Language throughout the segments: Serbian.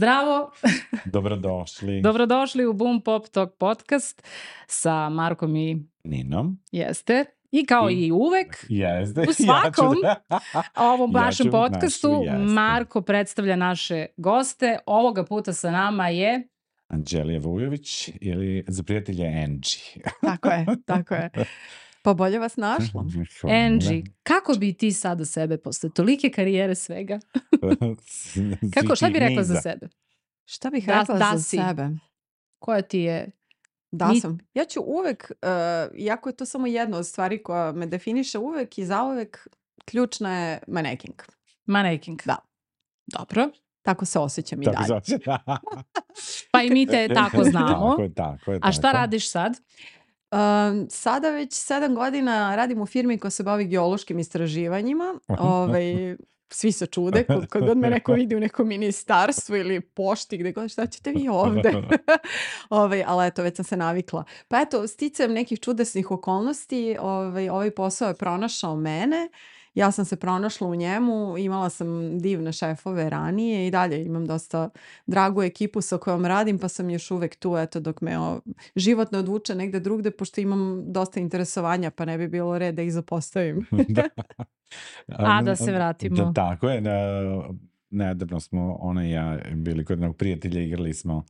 Zdravo! Dobrodošli. Dobrodošli u Boom Pop Talk podcast sa Markom i Ninom. Jeste. I kao i uvek, Jeste. u svakom ovom Ja našem ću podcastu našu, jeste. Marko predstavlja naše goste. Ovoga puta sa nama je... Anđelija Vujović ili za prijatelje Angie. Tako je. Pa bolje vas našla. Angie, kako bi ti sada sebe posle tolike karijere svega? Šta bi rekla za sebe? Šta bih rekla za si. sebe? Koja ti je... Sam. Ja ću uvek, iako je to samo jedna od stvari koja me definiše uvek i zauvek, ključna je maneking. Maneking. Da. Dobro. Tako se osjećam i dalje. Pa i mi te tako znamo. Tako je. A šta radiš sad? Sada već 7 godina radim u firmi koja se bavi geološkim istraživanjima. Svi se čude, kad god me neko vidi u nekom ministarstvu ili pošti, gde god, šta ćete vi ovde? Ali eto, već sam se navikla. Pa eto, sticajem nekih čudesnih okolnosti, ovaj posao je pronašao mene. Ja sam se pronašla u njemu, imala sam divne šefove ranije i dalje imam dosta dragu ekipu sa kojom radim, pa sam još uvek tu, eto, dok me život ne odvuče negde drugde, pošto imam dosta interesovanja, pa ne bi bilo red da ih zapostavim. Da se vratimo. Tako je, nedavno smo ona i ja bili kod jednog prijatelja, igrali smo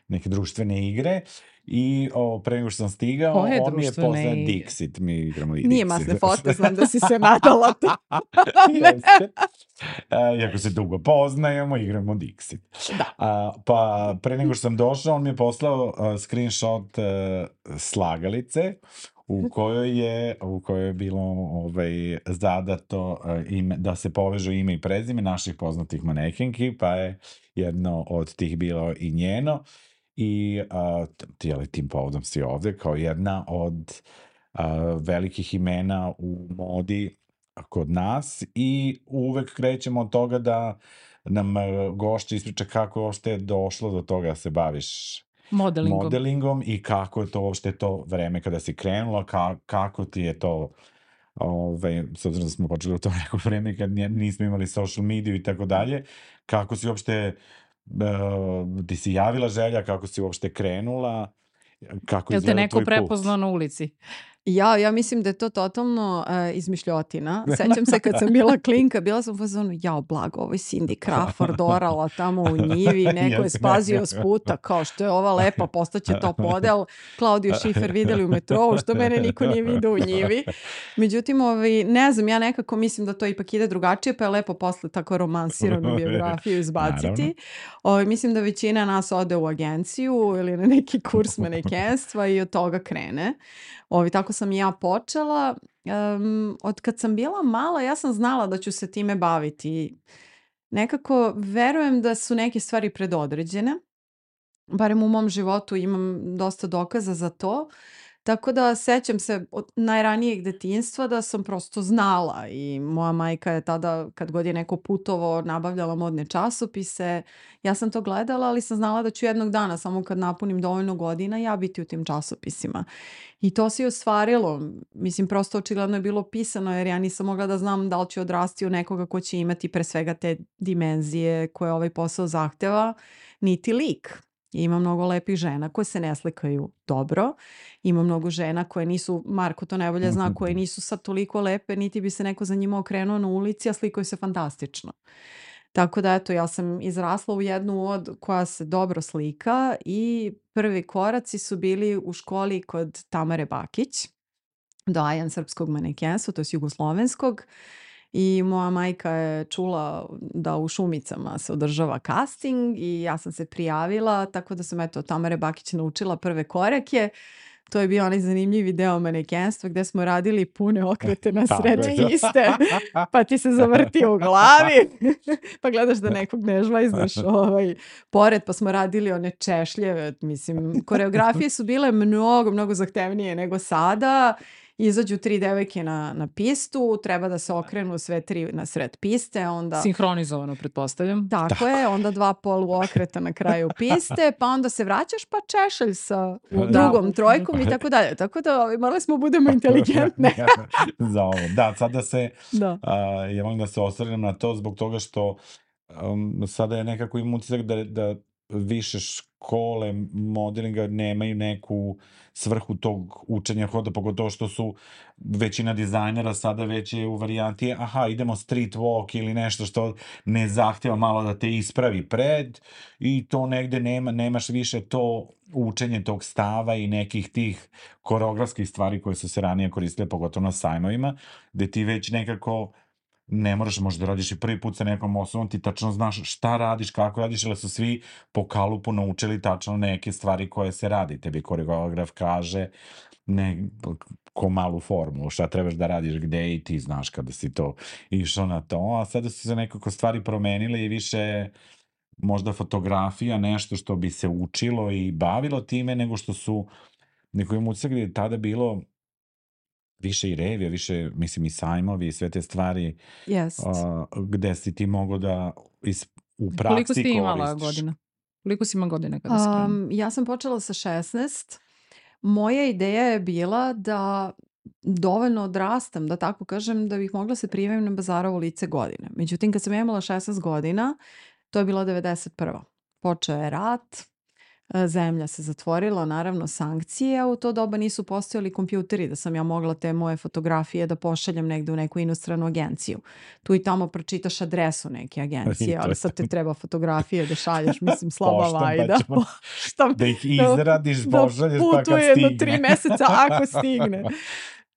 neke društvene igre i pre nego što sam stigao, on mi je poznat Dixit, mi igramo i Dixit. Nije masne fote, znam da si se nadala ti. Iako se dugo poznajemo, igramo Dixit. Pa pre nego što sam došao, on mi je poslao screenshot slagalice u kojoj je bilo zadato da se povežu ime i prezime naših poznatih manekenki, pa je jedno od tih bilo i njeno. I tim povodom si ovde kao jedna od velikih imena u modi kod nas i uvek krećemo od toga da nam gošća ispriča kako uopšte je došlo do toga da se baviš modelingom i kako je to uopšte to vreme kada si krenula, kako ti je to, s obzirom da smo počeli u to neko vreme kad nismo imali social mediju i tako dalje, kako si uopšte ti si javila želja, kako si uopšte krenula, kako izgleda tvoj put? Jel te neko prepoznao na ulici? Ja mislim da je to totalno izmišljotina. Sećam se kad sam bila klinka, bila sam u fazonu, blago, ovo je Cindy Crawford orala tamo u njivi, neko je spazio s puta, kao što je ova lepa, postaće top model, Claudio Schiffer videli u metrou, što mene niko nije vidio u njivi. Međutim, ne znam, ja nekako mislim da to ipak ide drugačije, pa je lepo posle tako romansiranu biografiju izbaciti. Mislim da većina nas ode u agenciju ili na neki kurs manekenstva i od toga krene. Tako sam i ja počela. Od kad sam bila mala, ja sam znala da ću se time baviti. Nekako verujem da su neke stvari predodređene. Barem u mom životu imam dosta dokaza za to. Tako da sećam se od najranijeg detinjstva da sam prosto znala i moja majka je tada, kad god je neko putovo, nabavljala modne časopise. Ja sam to gledala, ali sam znala da ću jednog dana, samo kad napunim dovoljno godina, ja biti u tim časopisima. I to se i ostvarilo. Mislim, prosto očigledno je bilo pisano, jer ja nisam mogla da znam da li ću odrasti u nekoga ko će imati pre svega te dimenzije koje ovaj posao zahteva, niti lik. Ima mnogo lepih žena koje se ne slikaju dobro. Ima mnogo žena koje nisu, Marko to najbolje zna, koje nisu sad toliko lepe, niti bi se neko za njima okrenuo na ulici, a slikaju se fantastično. Tako da, eto, ja sam izrasla u jednu od koja se dobro slika i prvi koraci su bili u školi kod Tamare Bakić, doajan srpskog manekenstva, to je jugoslovenskog. I moja majka je čula da u Šumicama se održava casting i ja sam se prijavila, tako da sam od Tamare Bakić naučila prve korake. To je bio onaj zanimljivi deo manekenstva gde smo radili pune okrete na sred piste, pa ti se zavrti u glavi, pa gledaš da nekog ne žvajznaš pored, pa smo radili one češljeve. Mislim, koreografije su bile mnogo zahtevnije nego sada. Izađu 3 devojke na pistu, treba da se okrenu sve 3 na sred piste. Onda... Sinhronizovano, pretpostavljam. Tako je, onda 2 poluokreta na kraju piste, pa onda se vraćaš pa češalj sa drugom trojkom i tako dalje. Tako da morali smo budemo inteligentne. Za ovo. Sada se, ja volim da se osvrnem na to zbog toga što sada je nekako imam utisak da više škole modelinga nemaju neku svrhu tog učenja hoda, pogotovo što su većina dizajnera sada već je u varijanti aha, idemo street walk ili nešto što ne zahtjeva malo da te ispravi pred i to negde nemaš više to učenje tog stava i nekih tih koreografskih stvari koje su se ranije koristile, pogotovo na sajmovima, gde ti već nekako ne moraš možda radiš i prvi put sa nekom osobom, ti tačno znaš šta radiš, kako radiš, ali su svi po kalupu naučili tačno neke stvari koje se radi. Tebi koreograf kaže ko malu formulu, šta trebaš da radiš, gde i ti znaš kada si to išao na to, a sada su se nekako stvari promenile i više možda fotografija, nešto što bi se učilo i bavilo time, nego što su, neko im utisak je tada bilo više i revija, više, mislim, i sajmovi i sve te stvari gde si ti mogao da u praksi koristiš. Koliko si imala godina? Koliko si ima godina kada si krenula? Ja sam počela sa 16. Moja ideja je bila da dovoljno odrastam, da tako kažem, da bih mogla se prijavim na Bazarovo lice godine. Međutim, kad sam imala 16 godina, to je bilo 91. Počeo je rat, zemlja se zatvorila, naravno sankcije, a u to doba nisu postojali kompjuteri da sam ja mogla te moje fotografije da pošaljem negde u neku inostranu agenciju. Tu i tamo pročitaš adresu neke agencije, ali sad te treba fotografije da šalješ, mislim, slaba vajda. Da ih izradiš, pošalješ pa kad putuje stigne. jedno 3 meseca ako stigne.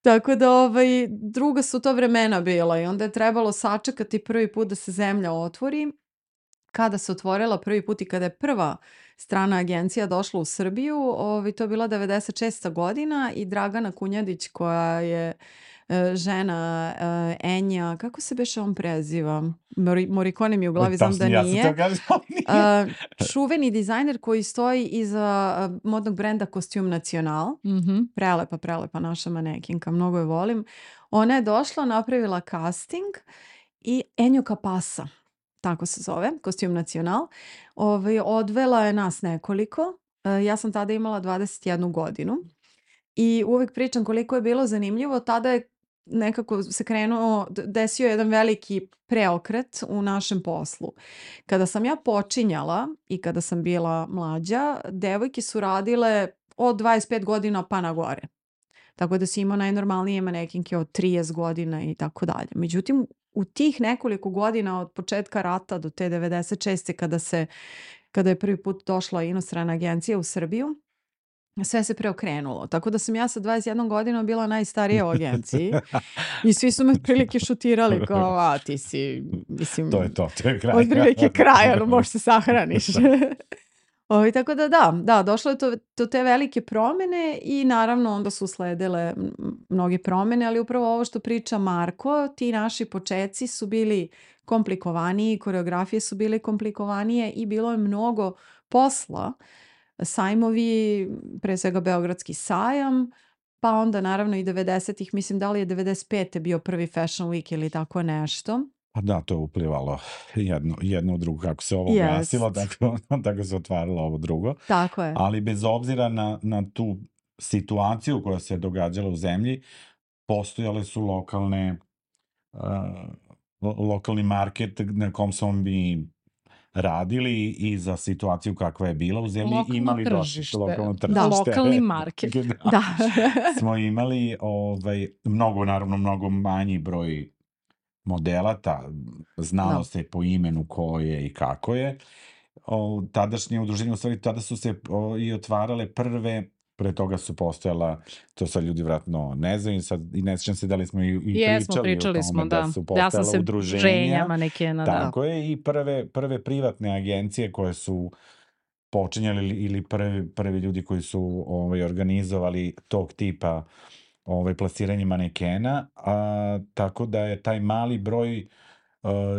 Tako da druga su to vremena bila i onda je trebalo sačekati prvi put da se zemlja otvori. Kada se otvorila prvi put i kada je prva strana agencija došla u Srbiju, to je bila 96. godina i Dragana Kunjadić koja je žena Enja, kako se beše on preziva? Morikone mi u glavi, znam da nije. Čuveni dizajner koji stoji iza modnog brenda Costume Nacional. Prelepa naša manekinka, mnogo je volim. Ona je došla, napravila casting i Enjo Kapasa, tako se zove, Costume Nacional, odvela je nas nekoliko. Ja sam tada imala 21 godinu i uvijek pričam koliko je bilo zanimljivo. Tada je nekako se desio jedan veliki preokret u našem poslu. Kada sam ja počinjala i kada sam bila mlađa, devojke su radile od 25 godina pa na gore. Tako da si imao najnormalnije manekinke od 30 godina i tako dalje. Međutim, u tih nekoliko godina od početka rata do te 96. kada je prvi put došla inostrana agencija u Srbiju, sve se preokrenulo. Tako da sam ja sa 21 godinom bila najstarija u agenciji i svi su me prilike šutirali kao, ti si, mislim, to je kraj. od prilike kraja, možeš se sahraniš. Tako da, došlo je do te velike promjene i naravno onda su sledile mnoge promjene, ali upravo ovo što priča Marko, ti naši početci su bili komplikovaniji, koreografije su bile komplikovanije i bilo je mnogo posla. Sajmovi, pre svega Beogradski sajam, pa onda naravno i 90-ih, mislim da li je 95. bio prvi Fashion Week ili tako nešto. Pa da, to je uplivalo jedno u drugo, kako se ovo gasilo, tako se otvaralo ovo drugo. Tako je. Ali bez obzira na tu situaciju koja se događala u zemlji, postojale su lokalni market na kom smo mi radili i za situaciju kakva je bila u zemlji. Imali lokalno tržište. Da, lokalni market. Da. Smo imali mnogo manji broj modela, znalo se po imenu ko je i kako je. Tadašnje udruženje, u stvari, tada su se i otvarale prve, pre toga su postojala, to sad ljudi vratno ne znaju, sad i ne sjećam se da li smo i pričali o tome da su postojala udruženja. Tako je, i prve privatne agencije koje su počinjali ili prvi ljudi koji su organizovali tog tipa plasiranje manekena, tako da je taj mali broj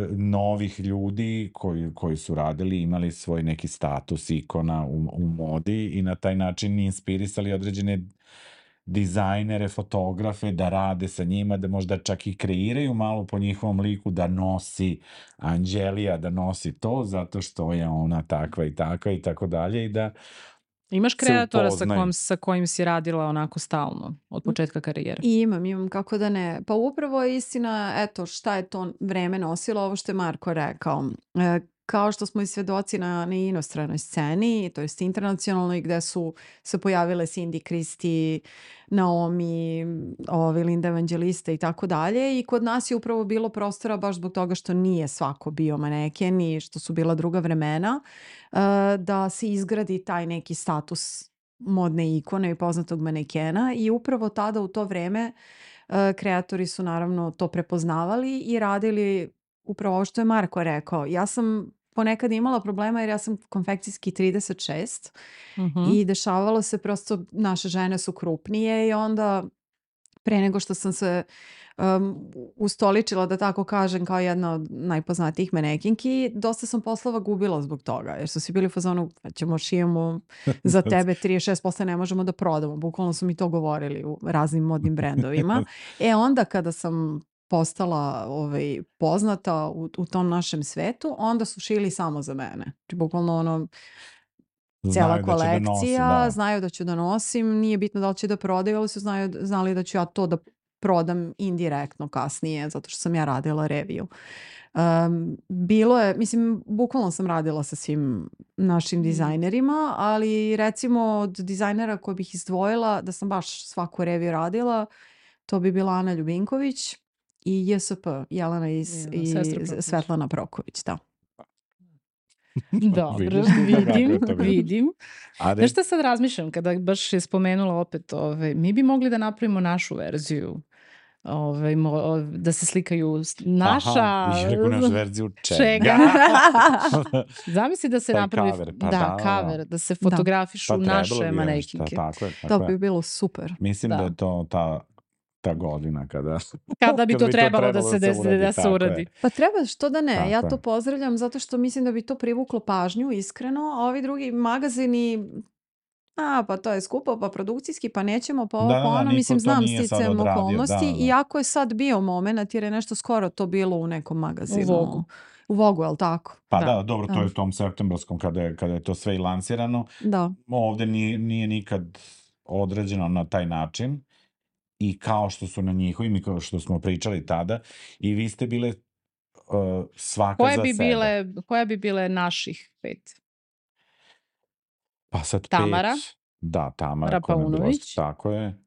novih ljudi koji su radili, imali svoj neki status ikona u modi i na taj način inspirisali određene dizajnere, fotografe da rade sa njima, da možda čak i kreiraju malo po njihovom liku, da nosi Anđelija, da nosi to zato što je ona takva i takva i tako dalje, i da Imaš kreatora upoznaju. sa kojim si radila onako stalno od početka karijere? I imam, kako da ne. Pa upravo je istina, eto, šta je to vreme nosilo, ovo što je Marko rekao. Kao što smo i svedoci na inostranoj sceni, to jest internacionalnoj, gde su se pojavile Cindy, Christie, Naomi, Linda Evangelista i tako dalje. I kod nas je upravo bilo prostora baš zbog toga što nije svako bio maneken i što su bila druga vremena, da se izgradi taj neki status modne ikone i poznatog manekena. I upravo tada u to vreme kreatori su naravno to prepoznavali i radili upravo ovo što je Marko rekao. Ja sam ponekad imala problema jer ja sam konfekcijski 36 i dešavalo se prosto, naše žene su krupnije i onda pre nego što sam se ustoličila, da tako kažem, kao jedna od najpoznatijih manekinki, dosta sam poslova gubila zbog toga, jer su svi bili u fazonu, ćemo šijemo za tebe 36%, ne možemo da prodamo. Bukvalno su mi to govorili u raznim modnim brendovima. Onda kada sam postala poznata u tom našem svetu, onda su šili samo za mene. Bukvalno ono, cijela kolekcija, znaju da ću da nosim, nije bitno da li će da prodaju, ali su znali da ću ja to da prodam indirektno kasnije, zato što sam ja radila reviju. Bilo je, mislim, bukvalno sam radila sa svim našim dizajnerima, ali recimo od dizajnera koje bih izdvojila, da sam baš svaku reviju radila, to bi bila Ana Ljubinković i JSP, Jelena i Svetlana Proković, da. Dobro, vidim. Znaš šta sad razmišljam kada baš je spomenula opet, mi bi mogli da napravimo našu verziju, da se slikaju naša... Aha, rekao našu verziju čega? Zamisli da se napravi cover, da se fotografišu naše manekinke. To bi bilo super. Mislim da je to ta godina kada bi to trebalo da se uradi. Pa treba, što da ne. Ja to pozdravljam zato što mislim da bi to privuklo pažnju, iskreno. A ovi drugi magazini, pa to je skupo, pa produkcijski, pa nećemo, pa ovo, pa ono. Mislim, znam sticajem okolnosti. Iako je sad bio moment, jer je nešto skoro to bilo u nekom magazinu. U Vogu, je li tako? Pa da, dobro, to je u tom septembrskom kada je to sve i lansirano. Da. Ovde nije nikad određeno na taj način. I kao što su na njihovim i kao što smo pričali tada, i vi ste bile svaka za sebe. Koja bi bile naših 5? Pa sad Tamara. 5. Da, Tamara Paunović. Tako je.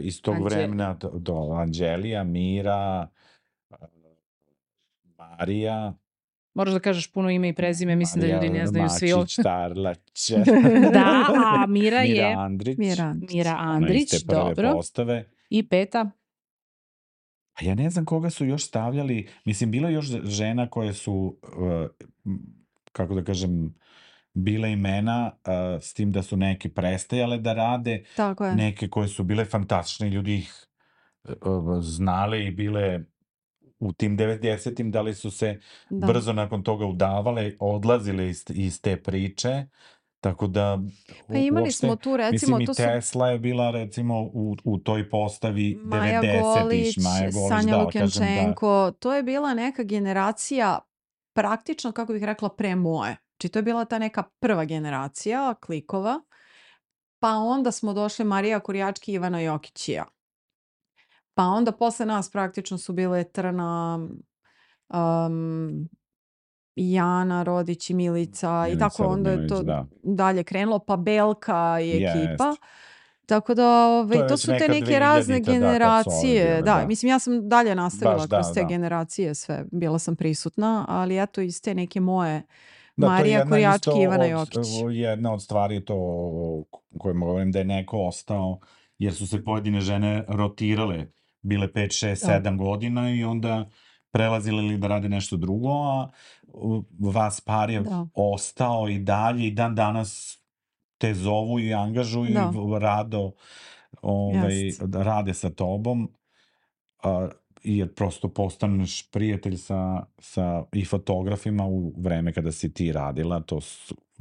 Iz tog vremena do Anđelija, Mira, Marija. Moraš da kažeš puno ime i prezime, mislim da ljudi ne znaju svi ovo. Mačić, Tarlaće. Da, Mira je... Mira Andrić. Mira Andrić, dobro. Postave. I 5. A ja ne znam koga su još stavljali. Mislim, bilo je još žena koje su, kako da kažem, bile imena, s tim da su neke prestajale da rade. Tako je. Neke koje su bile fantastične, ljudi ih znali i bile u tim 90-im, da li su se brzo nakon toga udavale, odlazile iz te priče. Tako da, pa imali smo tu, recimo, mislim, i Tesla je bila, recimo, u toj postavi 90-ih. Maja Golić, Sanja Lukenčenko, to je bila neka generacija, praktično, kako bih rekla, pre moje. Znači, to je bila ta neka prva generacija klikova, pa onda smo došli Marija Kurjački i Ivana Jokić i ja. Pa onda posle nas praktično su bile Trna, Jana Rodić i Milica i tako onda je to dalje krenulo, pa Belka i ekipa. Tako da to su te neke razne generacije. Da, mislim, ja sam dalje nastavila kroz te generacije sve. Bila sam prisutna, ali eto iz te neke moje Marija Kurjački i Ivana Jokić. Jedna od stvari je to o kojima govorim da je neko ostao, jer su se pojedine žene rotirale, bile 5, 6, 7 godina i onda prelazili li da rade nešto drugo, a vas par je ostao i dalje i dan danas te zovu i angažuju i rado rade sa tobom, jer prosto postaneš prijatelj sa i fotografima u vreme kada si ti radila, to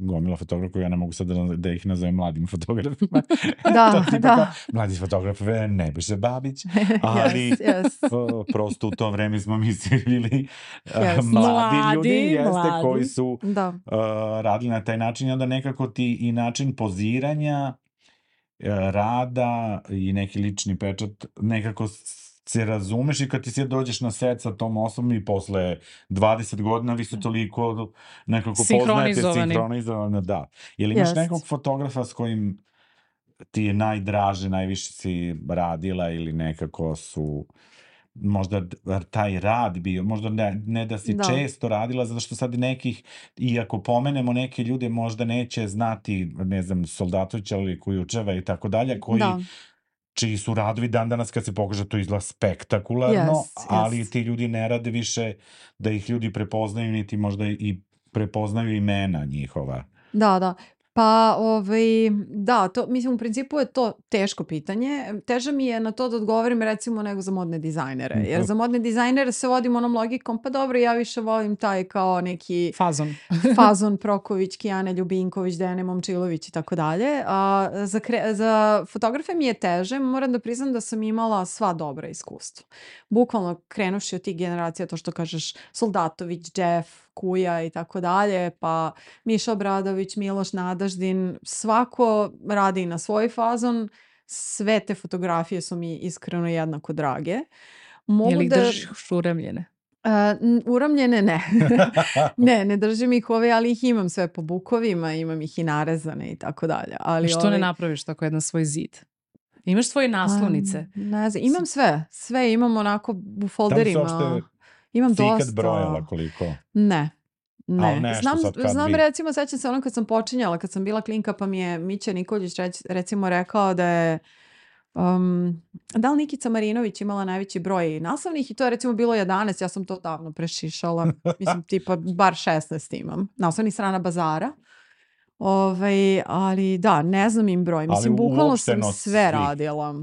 gomila fotografa, ja ne mogu sad da ih nazovem mladim fotografima. Da, da. Mladi fotograf Nebojša Babić, ali prosto u to vreme smo mi svi bili mladi ljudi, koji su radili na taj način i onda nekako ti i način poziranja, rada i neki lični pečat, nekako se razumeš i kad ti se dođeš na set sa tom osobom i posle 20 godina vi su toliko nekako poznajete, sinhronizovani, da. Jel imaš nekog fotografa s kojim ti je najdraže, najviše si radila ili nekako su možda taj rad bio, možda ne da si često radila, zato što sad nekih, i ako pomenemo neke ljude, možda neće znati, ne znam, Soldatovića ili Kujučeva i tako dalje, čiji su radovi dan danas kad se pokaže to izgleda spektakularno, ali ti ljudi ne rade više da ih ljudi prepoznaju, niti možda i prepoznaju imena njihova. Da. Pa, da, mislim, u principu je to teško pitanje. Teže mi je na to da odgovorim, recimo, nego za modne dizajnere. Jer za modne dizajnere se vodim onom logikom, pa dobro, ja više volim taj kao neki Fazon Proković, Kijane Ljubinković, Dejane Momčilović i tako dalje. Za fotografe mi je teže, moram da priznam da sam imala sva dobra iskustva. Bukvalno krenuši od tih generacija, to što kažeš, Soldatović, Jeff, Kuja i tako dalje, pa Miša Obradović, Miloš Nadaždin, svako radi na svoj fazon, sve te fotografije su mi iskreno jednako drage. Je li držiš uramljene? Uramljene ne. Ne držim ih ali ih imam sve po bukovima, imam ih i narezane i tako dalje. Što ne napraviš tako jedan svoj zid? Imaš svoje naslovnice? Ne znam, imam sve imam onako u folderima. Imam dosta. Si ikad brojala koliko? Ne. Znam recimo, sećam se ono kad sam počinjala, kad sam bila klinka, pa mi je Mića Nikolić recimo rekao da je da li Nikica Marinović imala najveći broj naslovnih i to je recimo bilo 11, ja sam to davno prešišala, mislim tipa bar 16 imam, naslovnih strana Bazara. Ali da, ne znam im broj, mislim bukvalno sam sve radila.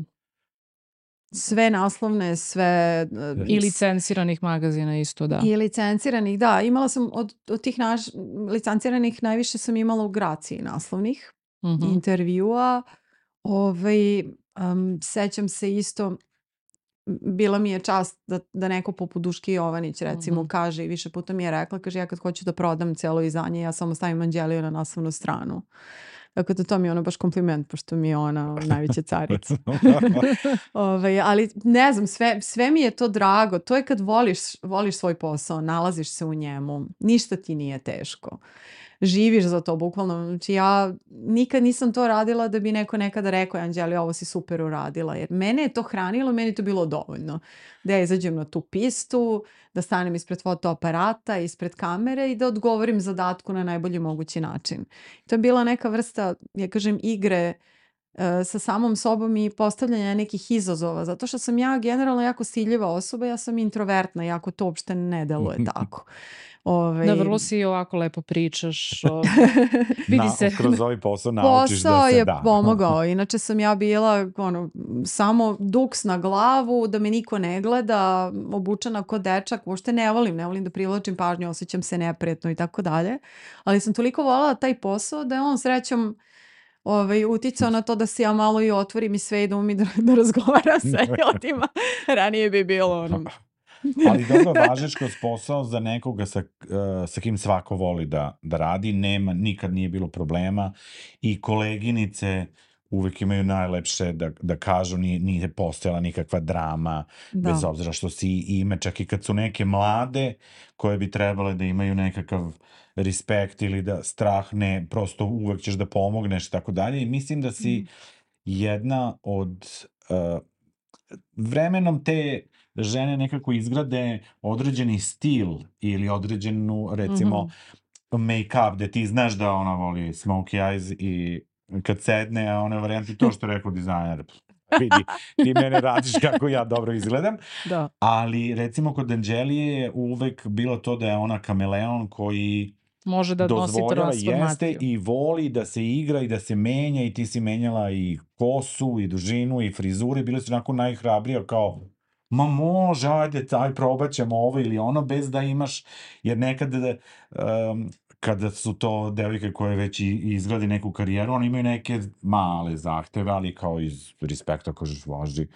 Sve naslovne, sve... I licenciranih magazina isto, da. I licenciranih, da. Imala sam od tih licenciranih najviše sam imala u Graciji naslovnih intervjua. Sećam se isto, bila mi je čast da neko poput Duške Jovanić recimo kaže i više puta mi je rekla, kaže ja kad hoću da prodam celo izdanje, ja samo stavim Anđeliju na naslovnu stranu. Tako da to mi je ono baš kompliment, pošto mi je ona najveća carica. Ali ne znam, sve mi je to drago. To je kad voliš svoj posao, nalaziš se u njemu. Ništa ti nije teško. Živiš za to, bukvalno. Znači ja nikad nisam to radila da bi neko nekada rekao, Anđeli, ovo si super uradila. Jer mene je to hranilo, meni je to bilo dovoljno. Da ja izađem na tu pistu, da stanem ispred fotoaparata, ispred kamere i da odgovorim zadatku na najbolji mogući način. To je bila neka vrsta, ja kažem, igre sa samom sobom i postavljanja nekih izazova. Zato što sam ja generalno jako stidljiva osoba, ja sam introvertna, jako to uopšte ne deluje tako. Da, vrlo si ovako lepo pričaš. Kroz ovaj posao naučiš da se da. Posao je pomogao. Inače sam ja bila samo duks na glavu, da me niko ne gleda, obučena ko dečak. Uopšte ne volim da privlačim pažnju, osjećam se neprijatno i tako dalje. Ali sam toliko voljela taj posao da je on srećom uticao na to da se ja malo i otvorim i sve i da umim da razgovaram sa ljudima. Ranije bi bilo Ali dobro, važiš kroz posao za nekoga sa kim svako voli da radi, nikad nije bilo problema i koleginice uvek imaju najlepše da kažu, nije postojala nikakva drama, bez obzira što si ime, čak i kad su neke mlade koje bi trebale da imaju nekakav respekt ili da strah ne, prosto uvek ćeš da pomogneš i tako dalje i mislim da si jedna od vremenom te žene nekako izgrade određeni stil ili određenu, recimo, make-up, gde ti znaš da ona voli smokey eyes i kad sedne, a ona varijanti to što je rekao dizajner, vidi, ti mene radiš kako ja dobro izgledam. Da. Ali, recimo, kod Anđelije je uvek bilo to da je ona kameleon koji može da nosi jeste i voli da se igra i da se menja i ti si menjala i kosu i dužinu i frizure, bile su onako najhrabrija kao ma može, ajde, probat ćemo ovo ili ono, bez da imaš, jer nekad kada su to devojke koje već izgrade neku karijeru, oni imaju neke male zahteve, ali kao iz respekta kažeš, važi,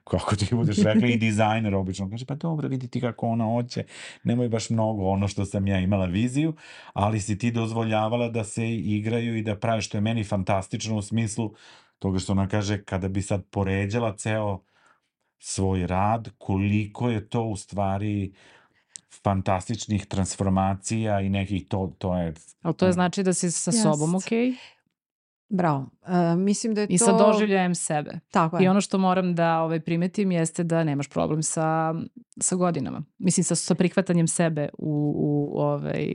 kako ti budeš rekla, i dizajner obično kaže, pa dobro, vidi ti kako ona hoće, nemoj baš mnogo ono što sam ja imala viziju, ali si ti dozvoljavala da se igraju i da pravi, što je meni fantastično u smislu toga što ona kaže, kada bi sad poređala ceo svoj rad, koliko je to u stvari fantastičnih transformacija i nekih, to je... Ali to je znači da si sa sobom okej? Bravo. Mislim da je to... I sa doživljajem sebe. Tako je. I ono što moram da primetim jeste da nemaš problem sa godinama. Mislim, sa prihvatanjem sebe u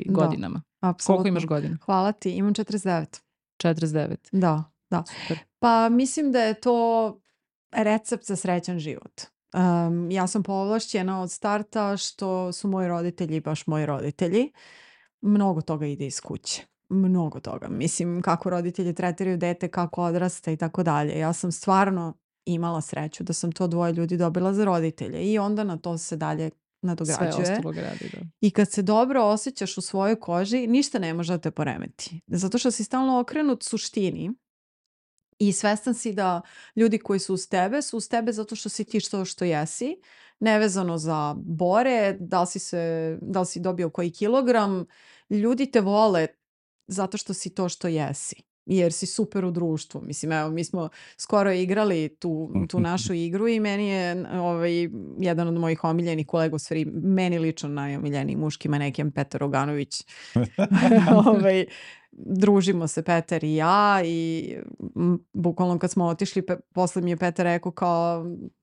godinama. Apsolutno. Koliko imaš godina? Hvala ti, imam 49. 49. Da. Super. Pa mislim da je to recept za srećan život. Ja sam povlašćena od starta što su moji roditelji baš moji roditelji. Mnogo toga ide iz kuće. Mnogo toga. Mislim, kako roditelji tretiraju dete, kako odrasta i tako dalje. Ja sam stvarno imala sreću da sam to dvoje ljudi dobila za roditelje i onda na to se dalje nadograđuje. Sve ostalo gradi, da. I kad se dobro osjećaš u svojoj koži, ništa ne može da te poremeti. Zato što si stalno okrenut suštini i svestan si da ljudi koji su uz tebe zato što si ti što jesi, nevezano za bore, da li si dobio koji kilogram, ljudi te vole zato što si to što jesi. Jer si super u društvu. Mislim, evo, mi smo skoro igrali tu našu igru i meni je jedan od mojih omiljenih kolega, u stvari meni lično najomiljeniji muški manekin Petar Oganović. Družimo se Petar i ja i bukvalno kad smo otišli, posle mi je Petar rekao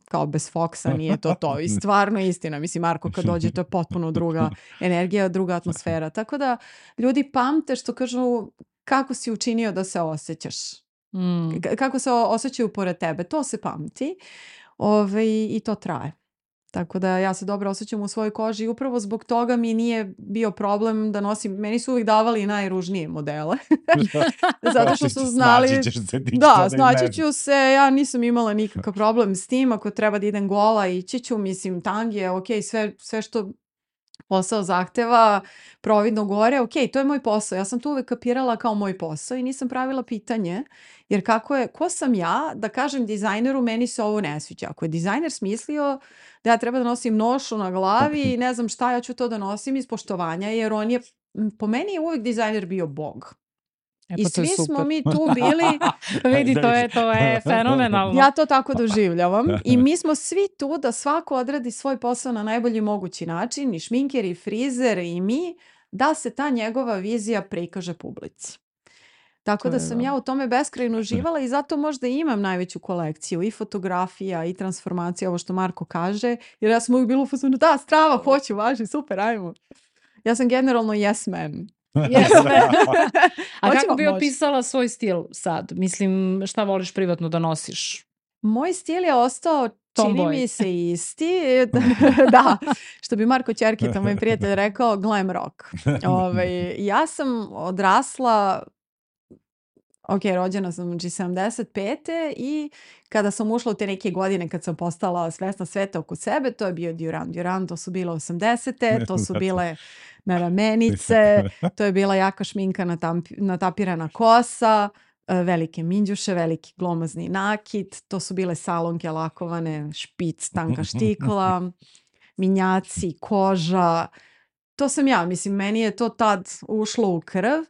kao bez Foxa nije to. I stvarno istina. Mislim, Marko kad dođe to je potpuno druga energija, druga atmosfera. Tako da ljudi pamte što kažu kako si učinio da se osjećaš. Kako se osjećaju pored tebe. To se pamti i to traje. Tako da ja se dobro osjećam u svojoj koži i upravo zbog toga mi nije bio problem da nosim, meni su uvijek davali najružnije modele. Zato što su znali... Snaći ću se, ja nisam imala nikakav problem s tim, ako treba da idem gola ići ću, mislim, tangije, ok, sve što posao zahteva, providno gore, ok, to je moj posao. Ja sam to uvek kapirala kao moj posao i nisam pravila pitanje, jer ko sam ja da kažem dizajneru meni se ovo ne sviđa. Ako je dizajner smislio da ja treba da nosim nošu na glavi i ne znam šta, ja ću to da nosim iz poštovanja, jer on je, po meni je uvek dizajner bio bog. I svi smo mi tu bili... Vidi, to je fenomenalno. Ja to tako doživljavam. I mi smo svi tu da svako odradi svoj posao na najbolji mogući način, i šminker, i frizer, i mi, da se ta njegova vizija prikaže publici. Tako da sam ja u tome beskrajno uživala i zato možda imam najveću kolekciju i fotografija i transformacija, ovo što Marko kaže, jer ja sam uvijek bila u fazonu, da, strava, hoću, važi, super, ajmo. Ja sam generalno yes man. A kako bi opisala svoj stil sad? Mislim, šta voliš privatno da nosiš? Moj stil je ostao, čini mi se, isti. Da, što bi Marko Ćerkita, moj prijatelj, rekao, glam rock. Ja sam odrasla, rođena sam 75. i kada sam ušla u te neke godine, kad sam postala svesna sveta oko sebe, to je bio Duran, to su bile 80. To su bile naramenice, to je bila jaka šminka, natapirana kosa, velike minđuše, veliki glomazni nakit, to su bile salonke lakovane, špic, tanka štikla, minjaci, koža. To sam ja, mislim, meni je to tad ušlo u krv.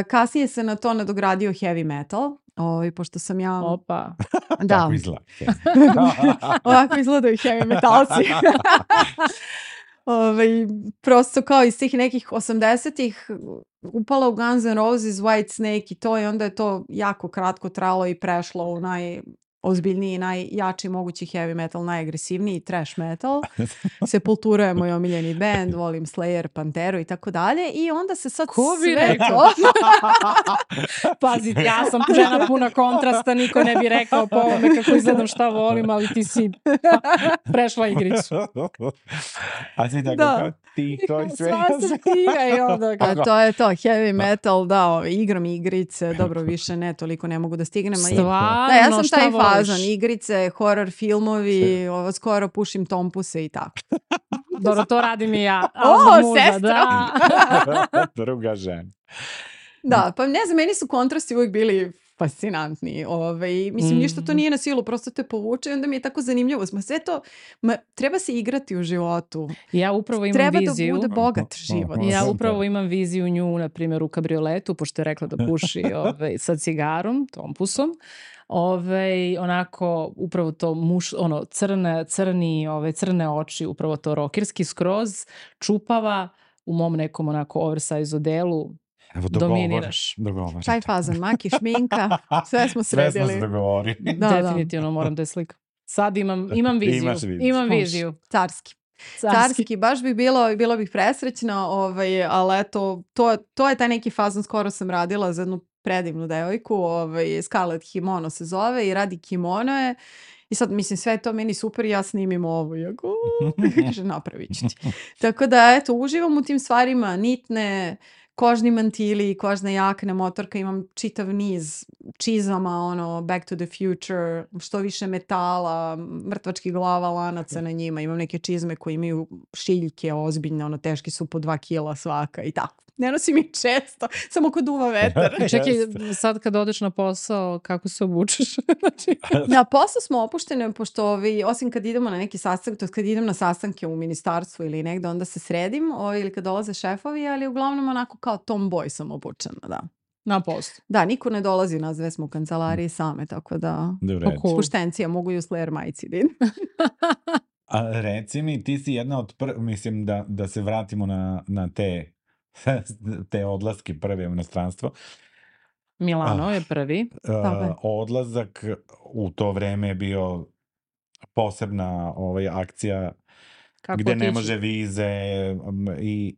Kasnije se na to nadogradio heavy metal, pošto sam ja... Opa. Da. Tako izgleda. Ovako izgledaju heavy metalci. Prosto kao iz tih nekih 80-ih upala u Guns N' Roses, White Snake i to, i onda je to jako kratko trajalo i prešlo u najozbiljniji, najjači mogući heavy metal, najagresivniji trash metal. Sepultura je moj omiljeni band, volim Slayer, Panteru i tako dalje, i onda se sad ko bi rekao? Pazi, ja sam žena puna kontrasta, niko ne bi rekao po ovome kako izgledam, šta volim, ali ti si prešla igricu. A si tako tiho i sve. Sva se tiha i onda. A to je to, heavy metal, da, igram igrice, dobro, više ne, toliko ne mogu da stignem. Stvarno, Da, ja sam šta taj voliš? fazan, igrice, horror filmovi, skoro pušim tompuse i tako. Dobro, to radim i ja. Sestra! Da. Druga žena. Da, pa ne znam, meni su kontrasti uvijek bili fascinantni. Mislim, ništa to nije na silu, prosto te povuče i onda mi je tako zanimljivo. Sve to, treba se igrati u životu. Ja upravo imam treba viziju. Treba da bude bogat život. Ja upravo imam viziju nju, na primjer, u kabrioletu, pošto je rekla da puši sa cigarom, tompusom. Onako, upravo to crne oči, upravo to rokirski skroz, čupava u mom nekom onako oversize odelu. Evo, dominiraš. Taj fazan, maki, šminka, sve smo sredili. Sve smo se dogovorili. Definitivno moram da je slikam. Sad imam viziju. Imam viziju. Carski, baš bi bilo bih presrećna, ali eto, to je taj neki fazon, skoro sam radila za jednu predivnu devojku, Scarlett Kimono se zove i radi kimonoje. I sad, mislim, sve to meni super i ja snimim ovo. I ako, kaže, napravit ću ti. Tako da, eto, uživam u tim stvarima, nitne, kožni mantili, kožne jakne, motorka, imam čitav niz čizama, Back to the Future, što više metala, mrtvačkih glava, lanaca na njima, imam neke čizme koje imaju šiljke ozbiljne, teški su po 2 kila svaka i tako. Ne nosim ih često, samo kod duva vetar. Čekaj, sad kad odeš na posao, kako se obučeš? Na posao smo opuštene, pošto osim kad idemo na neki sastanak, to kad idem na sastanke u ministarstvu ili negde, onda se sredim, ili kad dolaze šefovi, ali uglavnom onako kao tomboy sam obučena, da. Na poslu. Da, niko ne dolazi, nas dve smo u kancelariji same, tako da puštencija, mogu i u Slayer majici da idem. A reci mi, ti si jedna od mislim da se vratimo na te odlaske prve u inostranstvo. Milano je prvi. Odlazak u to vreme je bio posebna akcija gde ne može vize i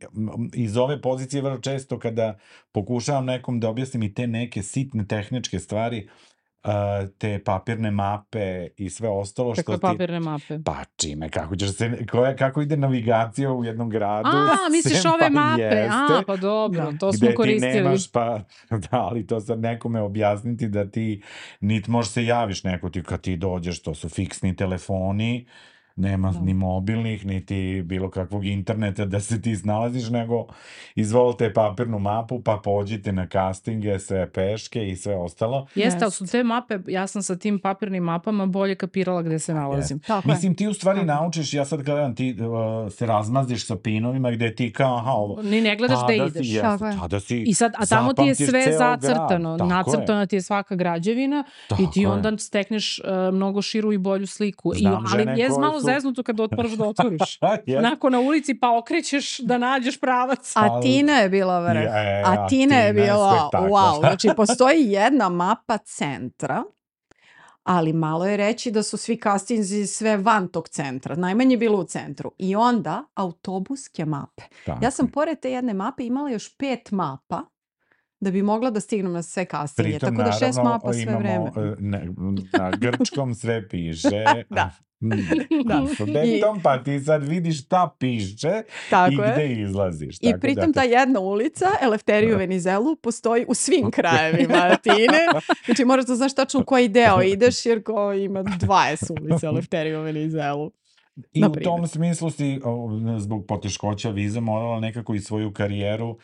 iz ove pozicije vrlo često kada pokušavam nekom da objasnim i te neke sitne tehničke stvari, te papirne mape i sve ostalo što ti... Kakve papirne mape? Pa čime, kako ide navigacija u jednom gradu. Misliš ove mape? Pa dobro, to smo koristili. Gde ti nemaš, ali to sad nekome objasniti da ti nit možeš se javiš neko ti kad ti dođeš, to su fiksni telefoni, nema ni mobilnih, niti bilo kakvog interneta da se ti snalaziš, nego izvolite papirnu mapu, pa pođite na castinge, sve peške i sve ostalo. Jeste, ali su te mape, ja sam sa tim papirnim mapama bolje kapirala gde se nalazim. Mislim, ti u stvari naučiš, ja sad gledam, ti se razmaziš sa pinovima gde ti kao, ovo... Ni ne gledaš gde ideš. Tada si I sad, a tamo ti je sve zacrtano, nacrtana ti je svaka građevina i ti onda stekneš mnogo širu i bolju sliku. Ali je malo zeznuto kad otmoraš da otvoriš. Onako na ulici pa okrećeš da nađeš pravac. A Tina je bila vrh. A Tina je bila, wow. Znači, postoji jedna mapa centra, ali malo je reći da su svi castinzi sve van tog centra. Najmanje je bilo u centru. I onda autobuske mape. Ja sam pored te jedne mape imala još 5 mapa da bi mogla da stignem na sve castinge. Tako da 6 mapa sve vreme. Na grčkom sve piše. Da. Pa ti sad vidiš šta piše i gde izlaziš. I pritom ta jedna ulica, Elefteriju Venizelu, postoji u svim krajevima Atine. Znači moraš da znaš tačno u koji deo ideš, jer ima 20 ulica Elefteriju Venizelu. I u tom smislu si zbog poteškoća viza morala nekako i svoju karijeru.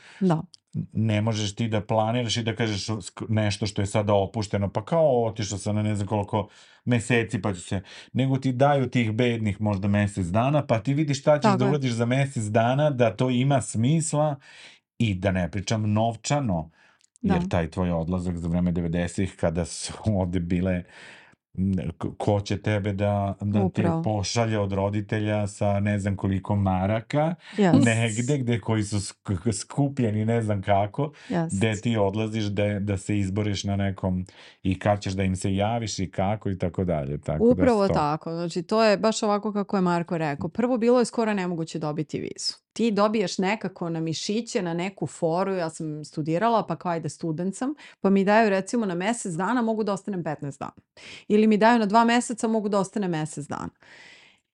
Ne možeš ti da planiraš i da kažeš nešto što je sada opušteno, pa kao otišao sam na ne znam koliko meseci pa ću se, nego ti daju tih bednih možda mesec dana, pa ti vidiš šta ćeš da uradiš za mesec dana, da to ima smisla i da ne pričam novčano, jer taj tvoj odlazak za vreme 90-ih kada su ovde bile ko će tebe da te pošalje od roditelja sa ne znam koliko maraka, negde gde koji su skupljeni ne znam kako, gde ti odlaziš da se izboriš na nekom i kad ćeš da im se javiš i kako i tako dalje. Upravo tako, znači to je baš ovako kako je Marko rekao. Prvo bilo je skoro nemoguće dobiti vizu. Ti dobiješ nekako na mišiće, na neku foru, ja sam studirala, pa kao ajde student sam, pa mi daju recimo na mesec dana mogu da ostanem 15 dana. Ili mi daju na 2 meseca mogu da ostane mesec dana.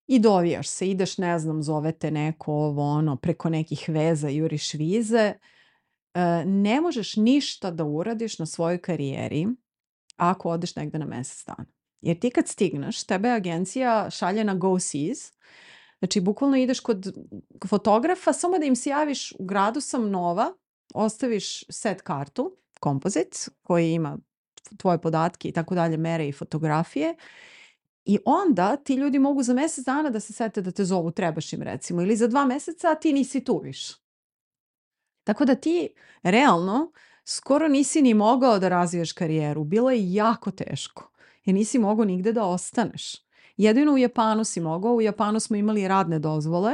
i dovijaš se, ideš, ne znam, zovete neko ovo ono, preko nekih veza, juriš vize. Ne možeš ništa da uradiš na svojoj karijeri ako odeš negde na mesec dana. Jer ti kad stigneš, tebe agencija šalje na Go Seas. Znači, bukvalno ideš kod fotografa, samo da im se javiš, u gradu sam nova, ostaviš set kartu, kompozit, koji ima tvoje podatke i tako dalje, mere i fotografije. I onda ti ljudi mogu za mesec dana da se sete da te zovu, trebaš im recimo, ili za 2 meseca, a ti nisi tu više. Tako da ti realno skoro nisi ni mogao da razviješ karijeru. Bilo je jako teško. Jer nisi mogao nigde da ostaneš. Jedino u Japanu si mogao. U Japanu smo imali radne dozvole.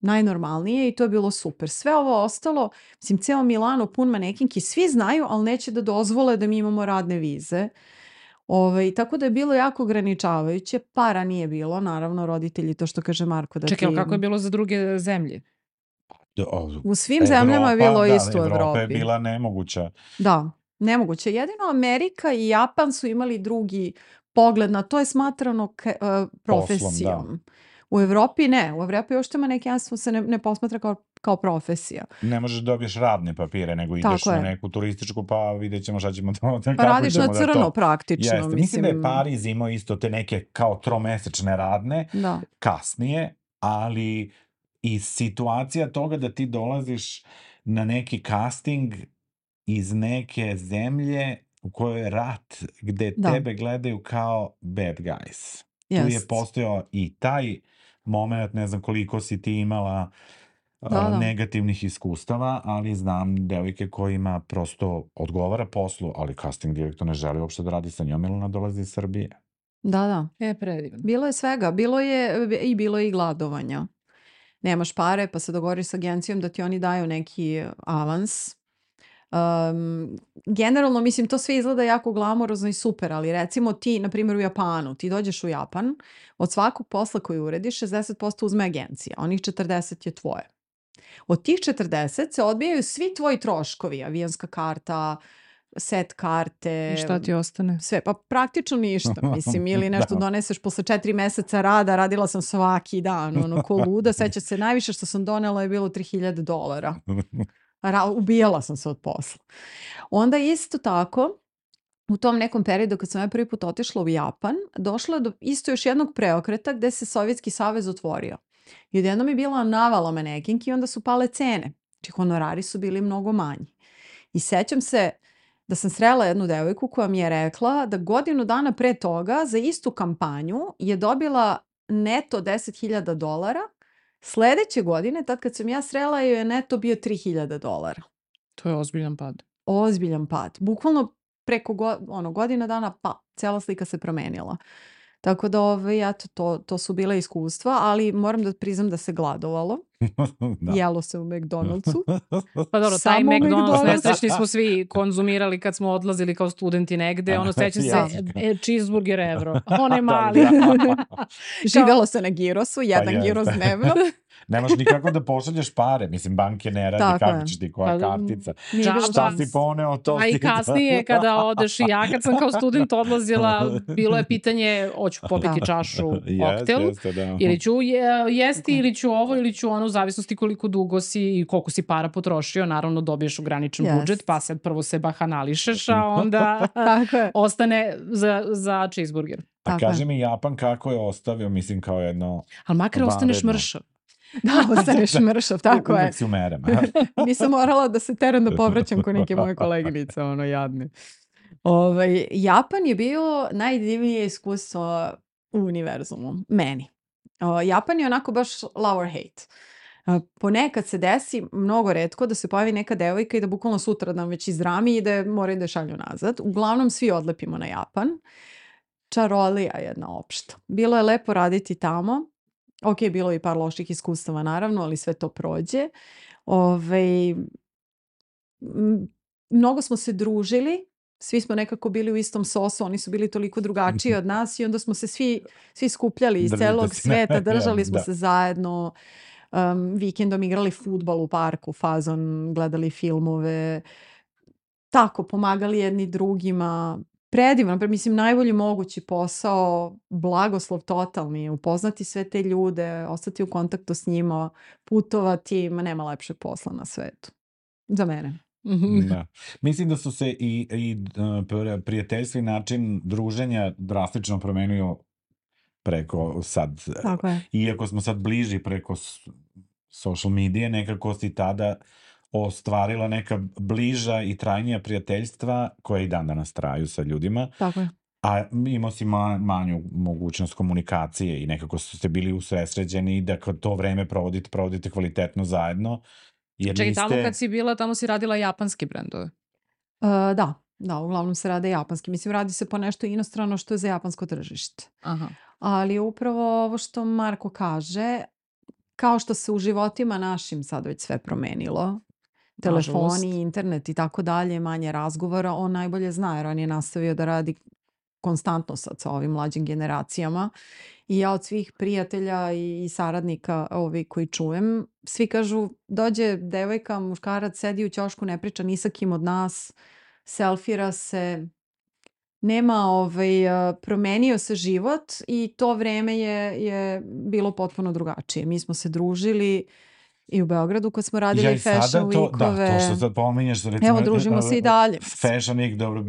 Najnormalnije i to je bilo super. Sve ovo ostalo, mislim, ceo Milano pun manekinki, svi znaju, ali neće da dozvole da mi imamo radne vize. Tako da je bilo jako ograničavajuće. Para nije bilo, naravno, roditelji, to što kaže Marko. Čekaj, kako je bilo za druge zemlje? U svim zemljama je bilo isto u Evropi. Evropa je bila nemoguća. Da, nemoguće. Jedino Amerika i Japan su imali drugi pogled na to, je smatrano profesijom. Poslom, u Evropi ne. U Evropi uopšte manekenstvo se ne posmatra kao profesija. Ne možeš dobiješ radne papire, nego ideš na neku turističku, pa vidjet ćemo šta ćemo to. Pa radiš na crno praktično. Jeste. Mislim da je Pariz imao isto te neke kao tromesečne radne, kasnije, ali i situacija toga da ti dolaziš na neki casting iz neke zemlje u kojoj je rat, gde tebe gledaju kao bad guys. Tu je postojao i taj moment, ne znam koliko si ti imala negativnih iskustava, ali znam devojke kojima prosto odgovara poslu, ali casting direktor ne želi uopšte da radi sa njom, jer ona dolazi iz Srbije. Da. Predivno. Bilo je svega. Bilo je i gladovanja. Nemaš pare, pa se dogovoriš s agencijom da ti oni daju neki avans. Generalno, mislim, to sve izgleda jako glamorozno i super, ali recimo ti, na primjer u Japanu, ti dođeš u Japan, od svakog posla koji urediš, 60% uzme agencija, onih 40 je tvoje. Od tih 40 se odbijaju svi tvoji troškovi, avionska karta, set karte. I šta ti ostane? Sve, pa praktično ništa, mislim, ili nešto doneseš posle 4 meseca rada, radila sam svaki dan, ko luda, seća se, najviše što sam donela je bilo $3,000. Ubijala sam se od posla. Onda isto tako, u tom nekom periodu kad sam ja prvi put otišla u Japan, došlo je do isto još jednog preokreta gde se Sovjetski savez otvorio. I odjednom je bila navala manekinki i onda su pale cene. Znači honorari su bili mnogo manji. I sećam se da sam srela jednu devojku koja mi je rekla da godinu dana pre toga za istu kampanju je dobila neto $10,000. Sledeće godine, tad kad sam ja srela, je neto bio $3,000. To je ozbiljan pad. Ozbiljan pad. Bukvalno preko godina dana, pa cela slika se promenila. Tako da to su bile iskustva, ali moram da priznam da se gladovalo. Jelo se u McDonald'su. Pa dobro, taj McDonald's nesrećni smo svi konzumirali kad smo odlazili kao studenti negde. Sećam se cheeseburger evro. On je mali. Živelo se na girosu, jedan giros dnevno. Nemaš nikako da pošalješ pare. Mislim, banke ne radi, kako ćeš ti, koja kartica. Šta si poneo, to si... A i kasnije kada odeš, i ja kad sam kao student odlazila, bilo je pitanje, hoću popiti čašu koktel, ili ću jesti, ili ću ovo, ili ću ono, u zavisnosti koliko dugo si i koliko si para potrošio. Naravno, dobiješ ograničen budžet, pa sad prvo se bahanališeš, a onda ostane za cheeseburger. A kaži mi, Japan kako je ostavio, mislim, kao jedno... Ali makar ostaneš mršav. Da, ostaneš mršav, tako je. Uvijek si u merama. Nisam morala da se teram da povraćam ko neke moje koleginice, jadne. Japan je bio najdivnije iskustvo u univerzumu, meni. Japan je onako baš love or hate. Ponekad se desi, mnogo retko, da se pojavi neka devojka i da bukvalno sutra nam već izdrami i da moraju da šalju nazad. Uglavnom svi odlepimo na Japan. Čarolija jedna opšta. Bilo je lepo raditi tamo. Ok, bilo je i par loših iskustava naravno, ali sve to prođe. Mnogo smo se družili, svi smo nekako bili u istom sosu, oni su bili toliko drugačiji od nas i onda smo se svi skupljali iz celog sveta, držali smo se zajedno, vikendom igrali fudbal u parku, fazon, gledali filmove, tako, pomagali jedni drugima. Predivan, mislim, najbolji mogući posao, blagoslov totalni, upoznati sve te ljude, ostati u kontaktu s njima, putovati, nema lepšeg posla na svetu. Za mene. Da. Mislim da su se i prijateljski način druženja drastično promenio preko sad. Tako je. Iako smo sad bliži preko social medije, nekako si tada ostvarila neka bliža i trajnija prijateljstva koja i dan danas traju sa ljudima. Tako je. A imao si manju mogućnost komunikacije i nekako ste bili usredsređeni da kad to vreme provodite kvalitetno zajedno. Čekaj, tamo kad si bila, tamo si radila japanske brendove? Da, uglavnom se rade japanski. Mislim, radi se po nešto inostrano što je za japansko tržište. Aha. Ali upravo ovo što Marko kaže, kao što se u životima našim sad već sve promenilo, telefoni, internet i tako dalje, manje razgovora, on najbolje zna jer on je nastavio da radi konstantno sad sa ovim mlađim generacijama i ja od svih prijatelja i saradnika koji čujem, svi kažu dođe devojka, muškarac, sedi u ćošku, ne priča ni sa kim od nas, selfira se, nema promenio se život i to vreme je bilo potpuno drugačije. Mi smo se družili i u Beogradu kad smo radili Fashion Weekove. Da, to što sad pominješ. Evo, družimo se i dalje. Fashion Week, dobro,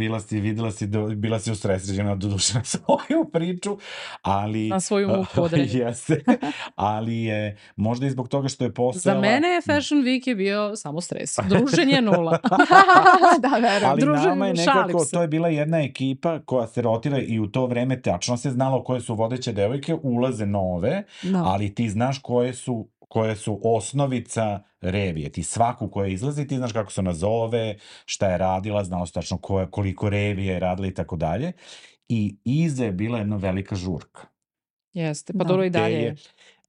bila si usredsređena doduše na svoju priču, ali... Na svoju muku određenu. Jeste, ali je možda i zbog toga što je postojala... Za mene Fashion Week je bio samo stres. Druženje nula. Da, verujem. Ali nama je nekako, to je bila jedna ekipa koja se rotira i u to vreme tačno se znalo koje su vodeće devojke, ulaze nove, ali ti znaš koje su osnovica revije. Ti svaku koja izlazi, ti znaš kako se nazove, šta je radila, znalo se tačno koliko revije je radila i tako dalje. I iza je bila jedna velika žurka. Jeste, pa dobro i dalje.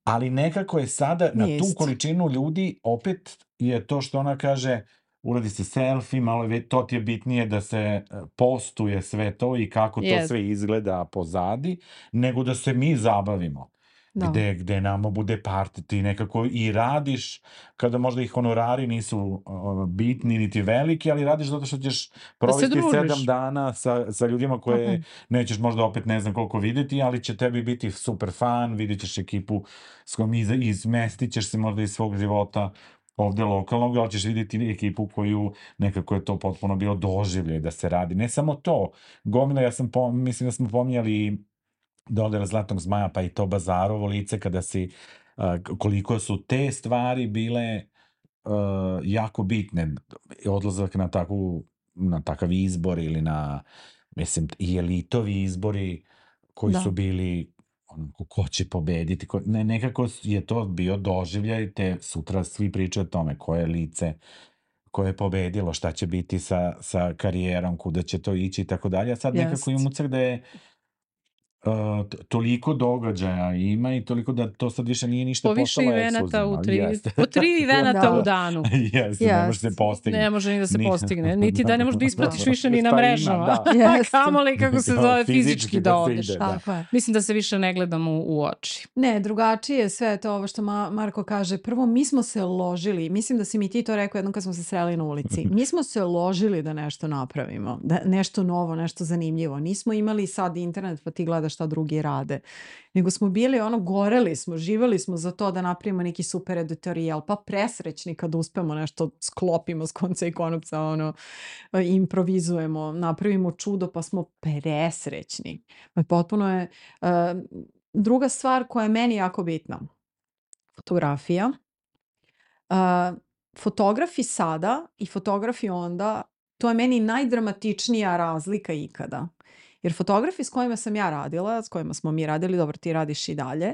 Ali nekako je sada na tu količinu ljudi, opet je to što ona kaže, uradi se selfie, malo to ti je bitnije da se postuje sve to i kako to sve izgleda pozadi, nego da se mi zabavimo. Gde nama bude party, ti nekako i radiš, kada možda i honorari nisu bitni niti veliki, ali radiš zato što ćeš provesti 7 dana sa ljudima koje nećeš možda opet ne znam koliko videti, ali će tebi biti super fan, vidjet ćeš ekipu s kojom izmestit ćeš se možda iz svog života ovde lokalnog, ali ćeš vidjeti ekipu koju nekako je to potpuno bilo doživlje da se radi. Ne samo to, gomila, mislim da smo pominjali dodela Zlatnog zmaja, pa i to Bazarovo lice, kada koliko su te stvari bile jako bitne. Odlazak na takav izbor ili mislim, i elitovi izbori koji su bili ko će pobediti. Nekako je to bio doživljaj, te sutra svi pričaju o tome koje lice koje je pobedilo, šta će biti sa karijerom, kuda će to ići i tako dalje. A sad nekako imam utisak da je toliko događaja ima i toliko da to sad više nije ništa postalo ekskluzivno. Po 3 venata u danu. Jeste, ne može se postigne. Ne može ni da se postigne. Niti da ne možeš da ispratiš više ni na mrežama. Kamoli kako se zove fizički da odeš. Mislim da se više ne gledamo u oči. Ne, drugačije sve to ovo što Marko kaže. Prvo, mi smo se ložili. Mislim da si mi ti to rekao jednom kad smo se sreli na ulici. Mi smo se ložili da nešto napravimo. Da nešto novo, nešto zanimljivo. Nismo imali sad internet pa ti gledaš šta drugi rade. Nego smo bili goreli smo, živeli smo za to da napravimo neki super editorijal, pa presrećni kad uspemo nešto sklopimo s konca i konopca, improvizujemo, napravimo čudo pa smo presrećni. Potpuno je druga stvar koja je meni jako bitna. Fotografija. Fotografi sada i fotografi onda, to je meni najdramatičnija razlika ikada. Jer fotografi s kojima sam ja radila, s kojima smo mi radili, dobro ti radiš i dalje,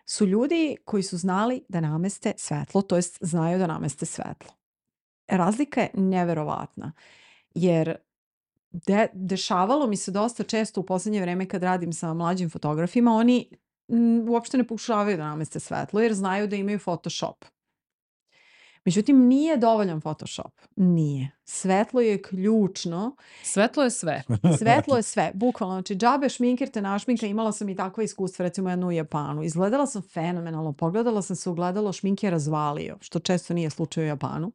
su ljudi koji su znali da nameste svetlo, to jest znaju da nameste svetlo. Razlika je neverovatna, jer dešavalo mi se dosta često u posljednje vreme kad radim sa mlađim fotografima, oni uopšte ne pokušavaju da nameste svetlo jer znaju da imaju Photoshop. Međutim, nije dovoljan Photoshop. Nije. Svetlo je ključno. Svetlo je sve. Svetlo je sve. Bukvalno. Znači, džabe šminker te našminka. Imala sam i takva iskustva, recimo jednu u Japanu. Izgledala sam fenomenalno. Pogledala sam se u gledalo, šminke razvalio, što često nije slučaj u Japanu.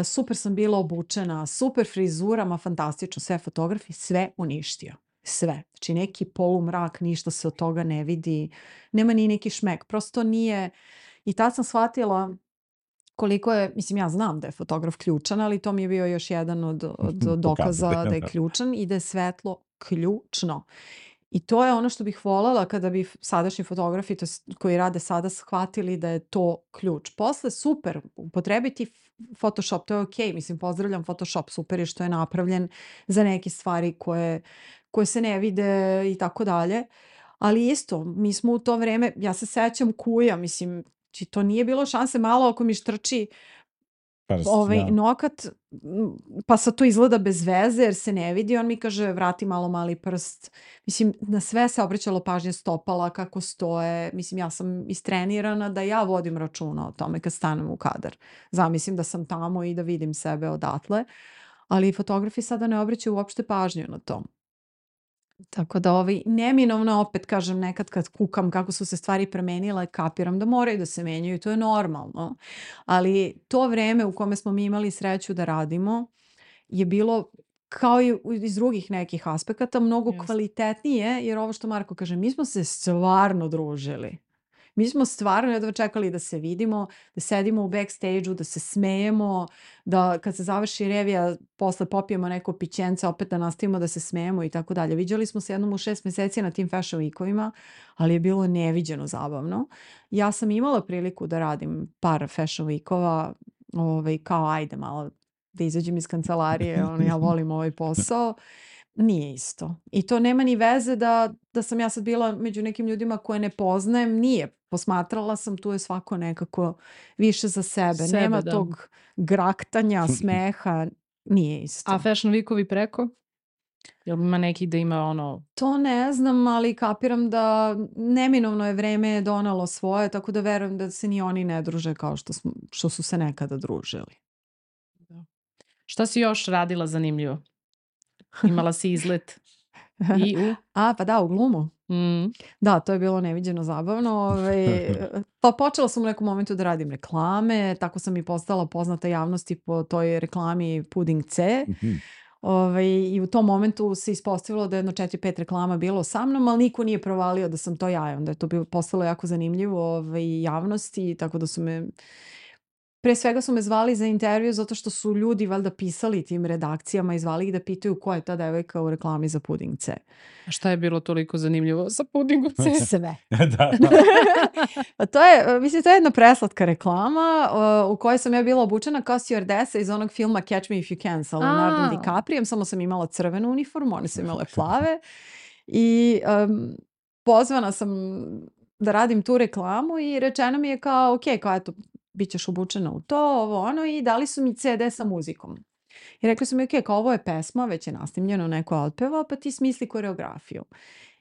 super sam bila obučena, super frizurama, fantastično, sve fotografi, sve uništio. Sve. Znači neki polumrak, ništa se od toga ne vidi, nema ni neki šmek, prosto nije. I tad sam shvatila koliko je, mislim ja znam da je fotograf ključan, ali to mi je bio još jedan od dokaza da je ključan i da je svetlo ključno. I to je ono što bih voljela kada bi sadašnji fotografi koji rade sada shvatili da je to ključ. Posle super, upotrebiti Photoshop, to je okej, mislim pozdravljam Photoshop, super je što je napravljen za neke stvari koje se ne vide i tako dalje. Ali isto, mi smo u to vreme, ja se sećam kuja, mislim, to nije bilo šanse malo ako mi štrči nokat, pa sad to izgleda bez veze jer se ne vidi, on mi kaže vrati malo mali prst. Mislim, na sve se obraćalo pažnje stopala, kako stoje. Mislim, ja sam istrenirana da ja vodim računa o tome kad stanem u kadar. Zamislim da sam tamo i da vidim sebe odatle, ali fotografi sada ne obraćaju uopšte pažnju na to. Tako da neminovno opet kažem nekad kad kukam kako su se stvari promenile, kapiram da moraju da se menjaju i to je normalno. Ali to vreme u kome smo mi imali sreću da radimo je bilo kao i iz drugih nekih aspekata mnogo kvalitetnije, jer ovo što Marko kaže, mi smo se stvarno družili. Mi smo stvarno jedva čekali da se vidimo, da sedimo u backstage-u, da se smejemo, da kad se završi revija posle popijemo neko pićence, opet da nastavimo da se smejemo i tako dalje. Viđali smo se jednom u 6 meseci na tim Fashion Weekovima, ali je bilo neviđeno zabavno. Ja sam imala priliku da radim par Fashion Weekova, kao ajde malo da izađem iz kancelarije, ja volim ovaj posao. Nije isto. I to nema ni veze da sam ja sad bila među nekim ljudima koje ne poznajem. Nije. Posmatrala sam, tu je svako nekako više za sebe. Nema tog graktanja, smeha. Nije isto. A Fashion Weekovi preko? Jel ima neki da ima To ne znam, ali kapiram da neminovno je vreme donalo svoje, tako da verujem da se ni oni ne druže kao što su se nekada družili. Šta si još radila zanimljivo? Imala si izlet pa da, u glumu. Da, to je bilo neviđeno zabavno. Pa počela sam u nekom momentu da radim reklame, tako sam i postala poznata javnosti po toj reklami Pudding C. I u tom momentu se ispostavilo da je jedno 4-5 reklama bilo sa mnom, ali niko nije provalio da sam to ja. Onda je to postalo jako zanimljivo javnosti, tako da su me... Pre svega su me zvali za intervju zato što su ljudi valjda pisali tim redakcijama i zvali ih da pitaju ko je ta devojka u reklami za Pudding C. A šta je bilo toliko zanimljivo sa Puddingom C? Sve. Pa to je, mislim, to je jedna preslatka reklama u kojoj sam ja bila obučena kao stewardesa iz onog filma Catch Me If You Can sa Leonardom DiCaprijem, samo sam imala crvenu uniformu, one su imale plave i pozvana sam da radim tu reklamu i rečeno mi je kao, ok, kao eto, bit ćeš obučena u to, i dali su mi CD sa muzikom. I rekli su mi, ok, kao ovo je pesma, već je nasnimljeno, neko otpeva, pa ti smisli koreografiju.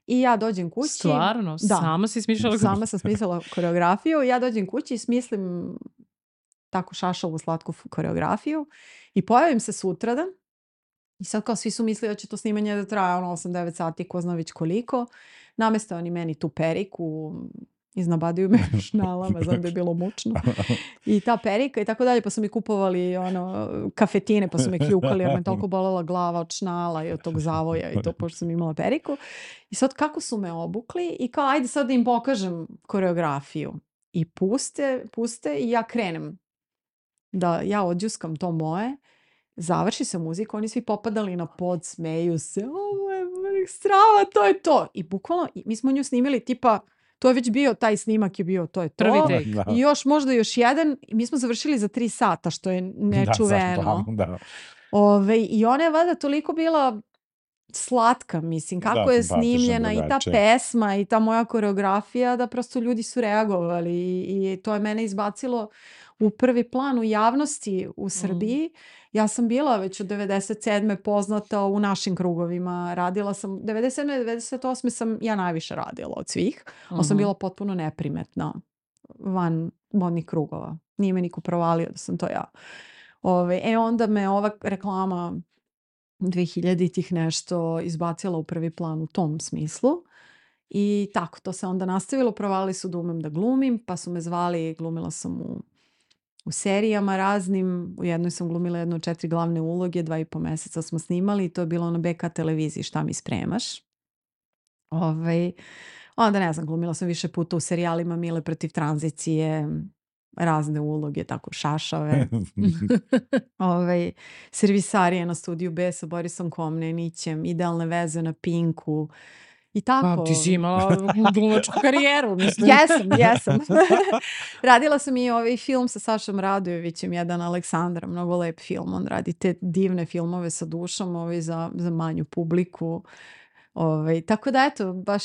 I ja dođem kući. Stvarno? Da. Sama si smišljala koreografiju? Sama sam smislila koreografiju. Ja dođem kući i smislim tako šašavu slatku koreografiju i pojavim se sutradan. I sad kao svi su mislili da će to snimanje da traje 8-9 sati, ko zna već koliko. Nameste oni meni tu periku, iznabaduju me šnalama, znam da je bilo mučno. I ta perika i tako dalje, pa su mi kupovali kafetine, pa su me kljukali jer me toliko bolela glava od šnala i od tog zavoja i to, pošto sam imala periku. I sad kako su me obukli i kao ajde sad da im pokažem koreografiju. I puste i ja krenem da ja odjuskam to moje. Završi se muzika, oni svi popadali na pod, smeju se, ovo je strava, to je to. I bukvalno, mi smo nju snimili tipa, to je već bio, taj snimak je bio, to je to. Prvi take. I još možda još jedan. I mi smo završili za 3 sata, što je nečuveno. I ona je valjda toliko bila slatka, mislim, kako je snimljena i ta pesma i ta moja koreografija, da prosto ljudi su reagovali i to je mene izbacilo u prvi plan u javnosti u Srbiji. Ja sam bila već od 97. poznata u našim krugovima. Radila sam, 97. 98. sam ja najviše radila od svih, ali sam bila potpuno neprimetna van modnih krugova. Nije me niko provalio da sam to ja. Onda me ova reklama 2000-ih nešto izbacila u prvi plan u tom smislu. I tako, to se onda nastavilo. Provali su da umem da glumim, pa su me zvali, glumila sam u u serijama raznim. U jednoj sam glumila 4 glavne uloge, 2,5 meseca smo snimali i to je bilo na BK televiziji Šta mi spremaš. Onda ne znam, glumila sam više puta u serijalima Mile protiv tranzicije, razne uloge, tako šašave. Servisarije na Studiju B sa Borisom Komnenićem, Idealne veze na Pinku. I tako. Ti si imala glumačku karijeru, mislim. Jesam. Radila sam i film sa Sašom Radojevićem, jedan Aleksandra, mnogo lep film. On radi te divne filmove sa dušom za manju publiku. Tako da eto, baš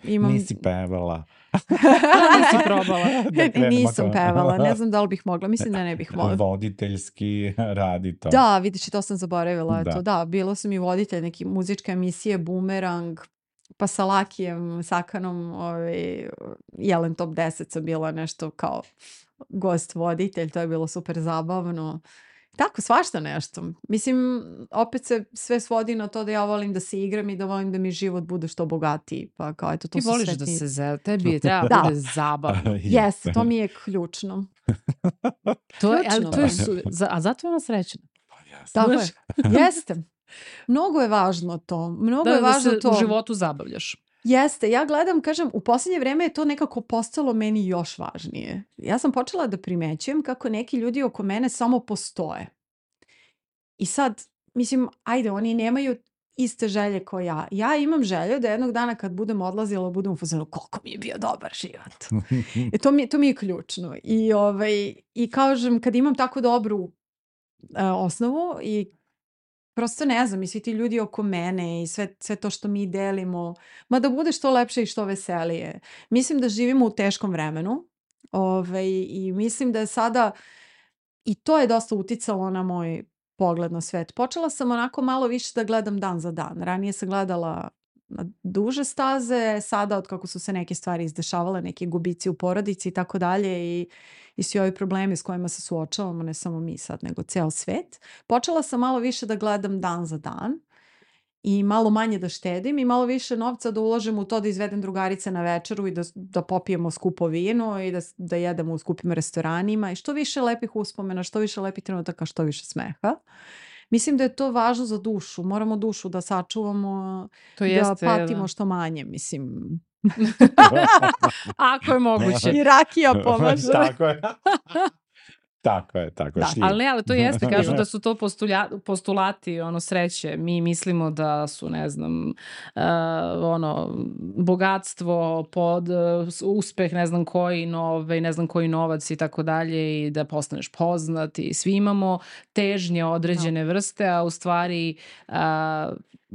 imam... Nisi pevala. Nisi probala. Nisam pevala, ne znam da li bih mogla, mislim da ne bih mogla. Voditeljski radi to. Da, vidiš, to sam zaboravila. Da, bila sam i voditelj neke muzičke emisije Bumerang, pa sa Lakijem Sakanom, Jelen Top 10 sam bila nešto kao gost voditelj, to je bilo super zabavno. Tako, svašta nešto. Mislim, opet se sve svodi na to da ja volim da se igram i da volim da mi život bude što bogatiji. Pa kao, eto, to ti voliš da se tebi je treba bude zabavno. Jes, to mi je ključno. A zato je ona srećna. Tako je. Jeste. Mnogo je važno to. Da se u životu zabavljaš. Jeste, ja gledam, kažem, u posljednje vrijeme je to nekako postalo meni još važnije. Ja sam počela da primećujem kako neki ljudi oko mene samo postoje. I sad, mislim, ajde, oni nemaju iste želje kao ja. Ja imam želju da jednog dana kad budem odlazila, budem u fazonu koliko mi je bio dobar život. To mi je ključno. I kažem, kad imam tako dobru osnovu i prosto ne znam, i svi ti ljudi oko mene i sve to što mi delimo, ma da bude što lepše i što veselije. Mislim da živimo u teškom vremenu i mislim da je sada, i to je dosta uticalo na moj pogled na svet. Počela sam onako malo više da gledam dan za dan. Ranije sam gledala na duže staze, sada od kako su se neke stvari izdešavale, neki gubici u porodici i tako dalje i svi ovi problemi s kojima se suočavamo, ne samo mi sad, nego ceo svet. Počela sam malo više da gledam dan za dan i malo manje da štedim i malo više novca da uložim u to da izvedem drugarice na večeru i da popijemo skupo vino i da jedemo u skupim restoranima i što više lepih uspomena, što više lepih trenutaka, što više smeha. Mislim da je to važno za dušu. Moramo dušu da sačuvamo, da patimo što manje, mislim. Ako je moguće. I rakija pomaže. Tako je. Tako je. Ali to jeste, kažu da su to postulati sreće. Mi mislimo da su, ne znam, bogatstvo, uspeh, ne znam koji novac i tako dalje i da postaneš poznat i svi imamo težnje određene vrste, a u stvari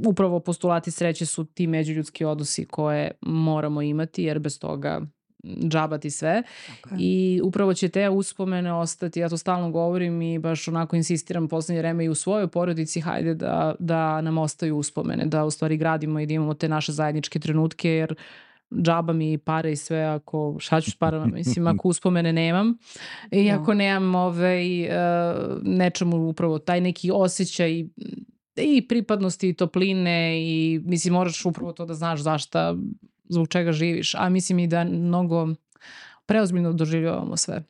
upravo postulati sreće su ti međuljudski odnosi koje moramo imati jer bez toga džabati sve. Okay. I upravo će te uspomene ostati, ja to stalno govorim i baš onako insistiram posljednje vreme i u svojoj porodici, hajde da nam ostaju uspomene, da u stvari gradimo i da imamo te naše zajedničke trenutke, jer džaba mi pare i sve, ako šta ću s parama, mislim, ako uspomene nemam i ako nemam nečemu upravo taj neki osjećaj i pripadnosti i topline i mislim moraš upravo to da znaš zbog čega živiš, a mislim i da mnogo preozbiljno doživljavamo sve.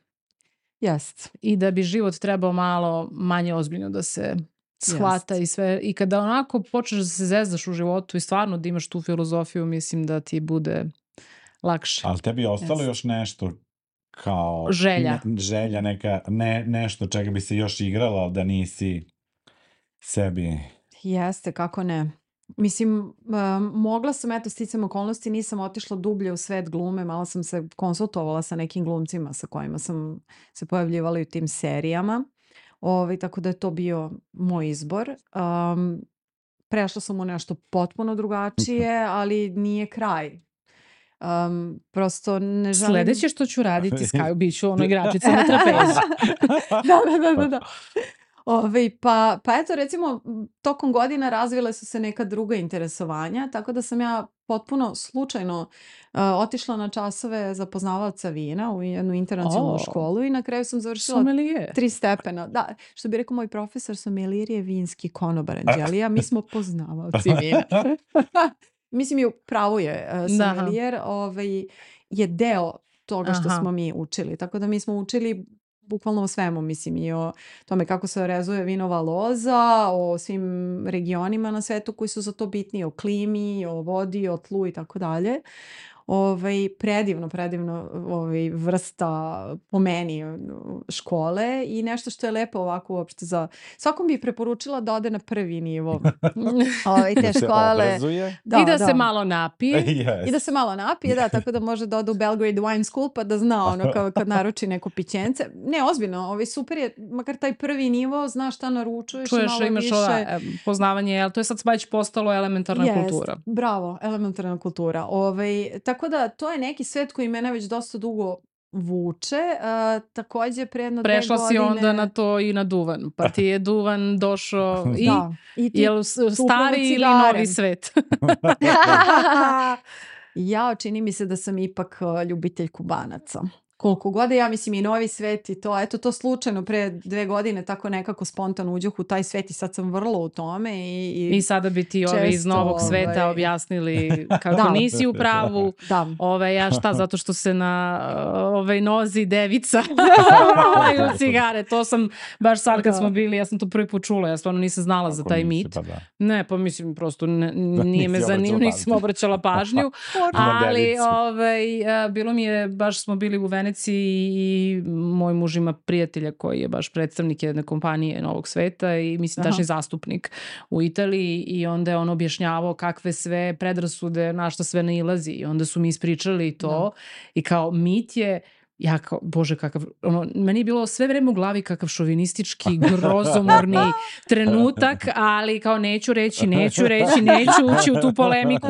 Jest. I da bi život trebao malo manje ozbiljno da se shvata i sve. I kada onako počneš da se zezdaš u životu i stvarno da imaš tu filozofiju, mislim da ti bude lakše. Ali tebi je ostalo još nešto kao... Želja neka, nešto čega bi se još igrala, da nisi sebi... Jeste, kako ne. Mislim, mogla sam, sticam okolnosti, nisam otišla dublje u svet glume, malo sam se konsultovala sa nekim glumcima sa kojima sam se pojavljivala u tim serijama, tako da je to bio moj izbor. Prešla sam u nešto potpuno drugačije, ali nije kraj. Prosto ne želim... Sljedeće što ću raditi Skaju, bit ću igračica na trapezi. Da. Pa eto, recimo, tokom godina razvile su se neka druga interesovanja, tako da sam ja potpuno slučajno otišla na časove za poznavaoca vina u jednu internacionalnu školu i na kraju sam završila 3 stepena. Da, što bi rekao moj profesor, sommelier je vinski konobar Anđelija, mi smo poznavaoci vina. Mislim, i upravo je sommelier je deo toga što smo mi učili, tako da mi smo učili bukvalno o svemu, mislim, i o tome kako se orezuje vinova loza, o svim regionima na svetu koji su za to bitni, o klimi, o vodi, o tlu i tako dalje. Predivno vrsta po meni škole i nešto što je lepo ovako uopšte za... Svakom bi preporučila da ode na prvi nivo te škole. I da se malo napije. I da se malo napije, da, tako da može da ode u Belgrade Wine School pa da zna ono kad naruči neko pićence. Ne, ozbiljno, super je, makar taj prvi nivo, znaš šta naručuješ. Čuješ, imaš poznavanje, to je sad već postalo elementarna kultura. Bravo, elementarna kultura. Tako da to je neki svet koji mene već dosta dugo vuče. Takođe pre jedno 2 godine... Prešla si onda na to i na duvan. Pa ti je duvan došao i jel stari ili novi svet? Ja, čini mi se da sam ipak ljubitelj Kubanaca. Koliko god ja mislim i novi svet i to, eto to slučajno pre 2 godine tako nekako spontano uđoh u taj svet i sad sam vrlo u tome. I sada bi ti ovi iz novog sveta objasnili kako nisi u pravu. Ja šta, zato što se na nozi devica u cigare. To sam baš sad kad smo bili, ja sam to prvi put čula, ja stvarno nisam znala za taj mit. Ne, pa mislim prosto nije me zanimljivo, nisam obraćala pažnju. Ali bilo mi je, baš smo bili u Veneciji i moj muž ima prijatelja koji je baš predstavnik jedne kompanije novog sveta i mislim tačni zastupnik u Italiji i onda je on objašnjavao kakve sve predrasude, na što sve nailazi i onda su mi ispričali to i kao mit je, ja kao, bože kakav, meni je bilo sve vreme u glavi kakav šovinistički, grozomorni trenutak, ali kao neću ući u tu polemiku.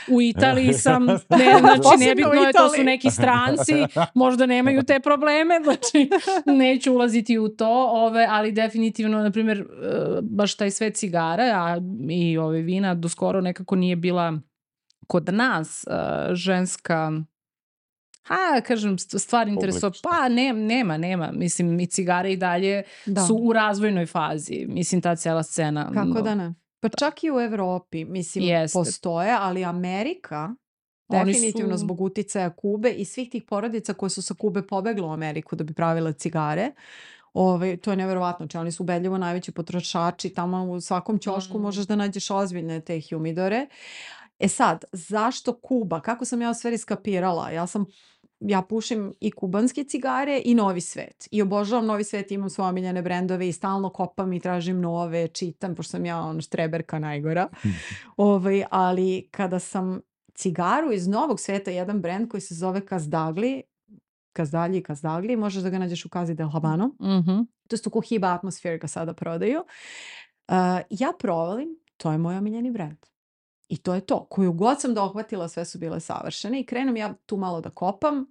U Italiji sam, znači nebitno je, to su neki stranci, možda nemaju te probleme, znači neću ulaziti u to, ali definitivno, na primjer, baš taj svet cigara i vina do skoro nekako nije bila kod nas ženska... kažem, stvar interesuje. Pa nema. Mislim, i cigare i dalje su u razvojnoj fazi. Mislim, ta cijela scena. Kako da ne? Pa čak i u Evropi, mislim, postoje, ali Amerika, definitivno zbog uticaja Kube i svih tih porodica koje su sa Kube pobegle u Ameriku da bi pravile cigare, to je nevjerovatno. Oni su ubedljivo najveći potrošači. Tamo u svakom ćošku možeš da nađeš ozbiljne te humidore. Sad, zašto Kuba? Kako sam ja u stvari skapirala? Ja pušim i kubanske cigare i novi svet. I obožavam novi svet, imam svoje omiljene brendove i stalno kopam i tražim nove, čitam, pošto sam ja štreberka najgora. Ali kada sam cigaru iz novog sveta, jedan brend koji se zove Cazdagli, možeš da ga nađeš u Casa del Habano. To je u Cohiba Atmosphere ga sada prodaju. Ja provalim, to je moj omiljeni brend. I to je to. Koju god sam dohvatila, sve su bile savršene i krenem ja tu malo da kopam.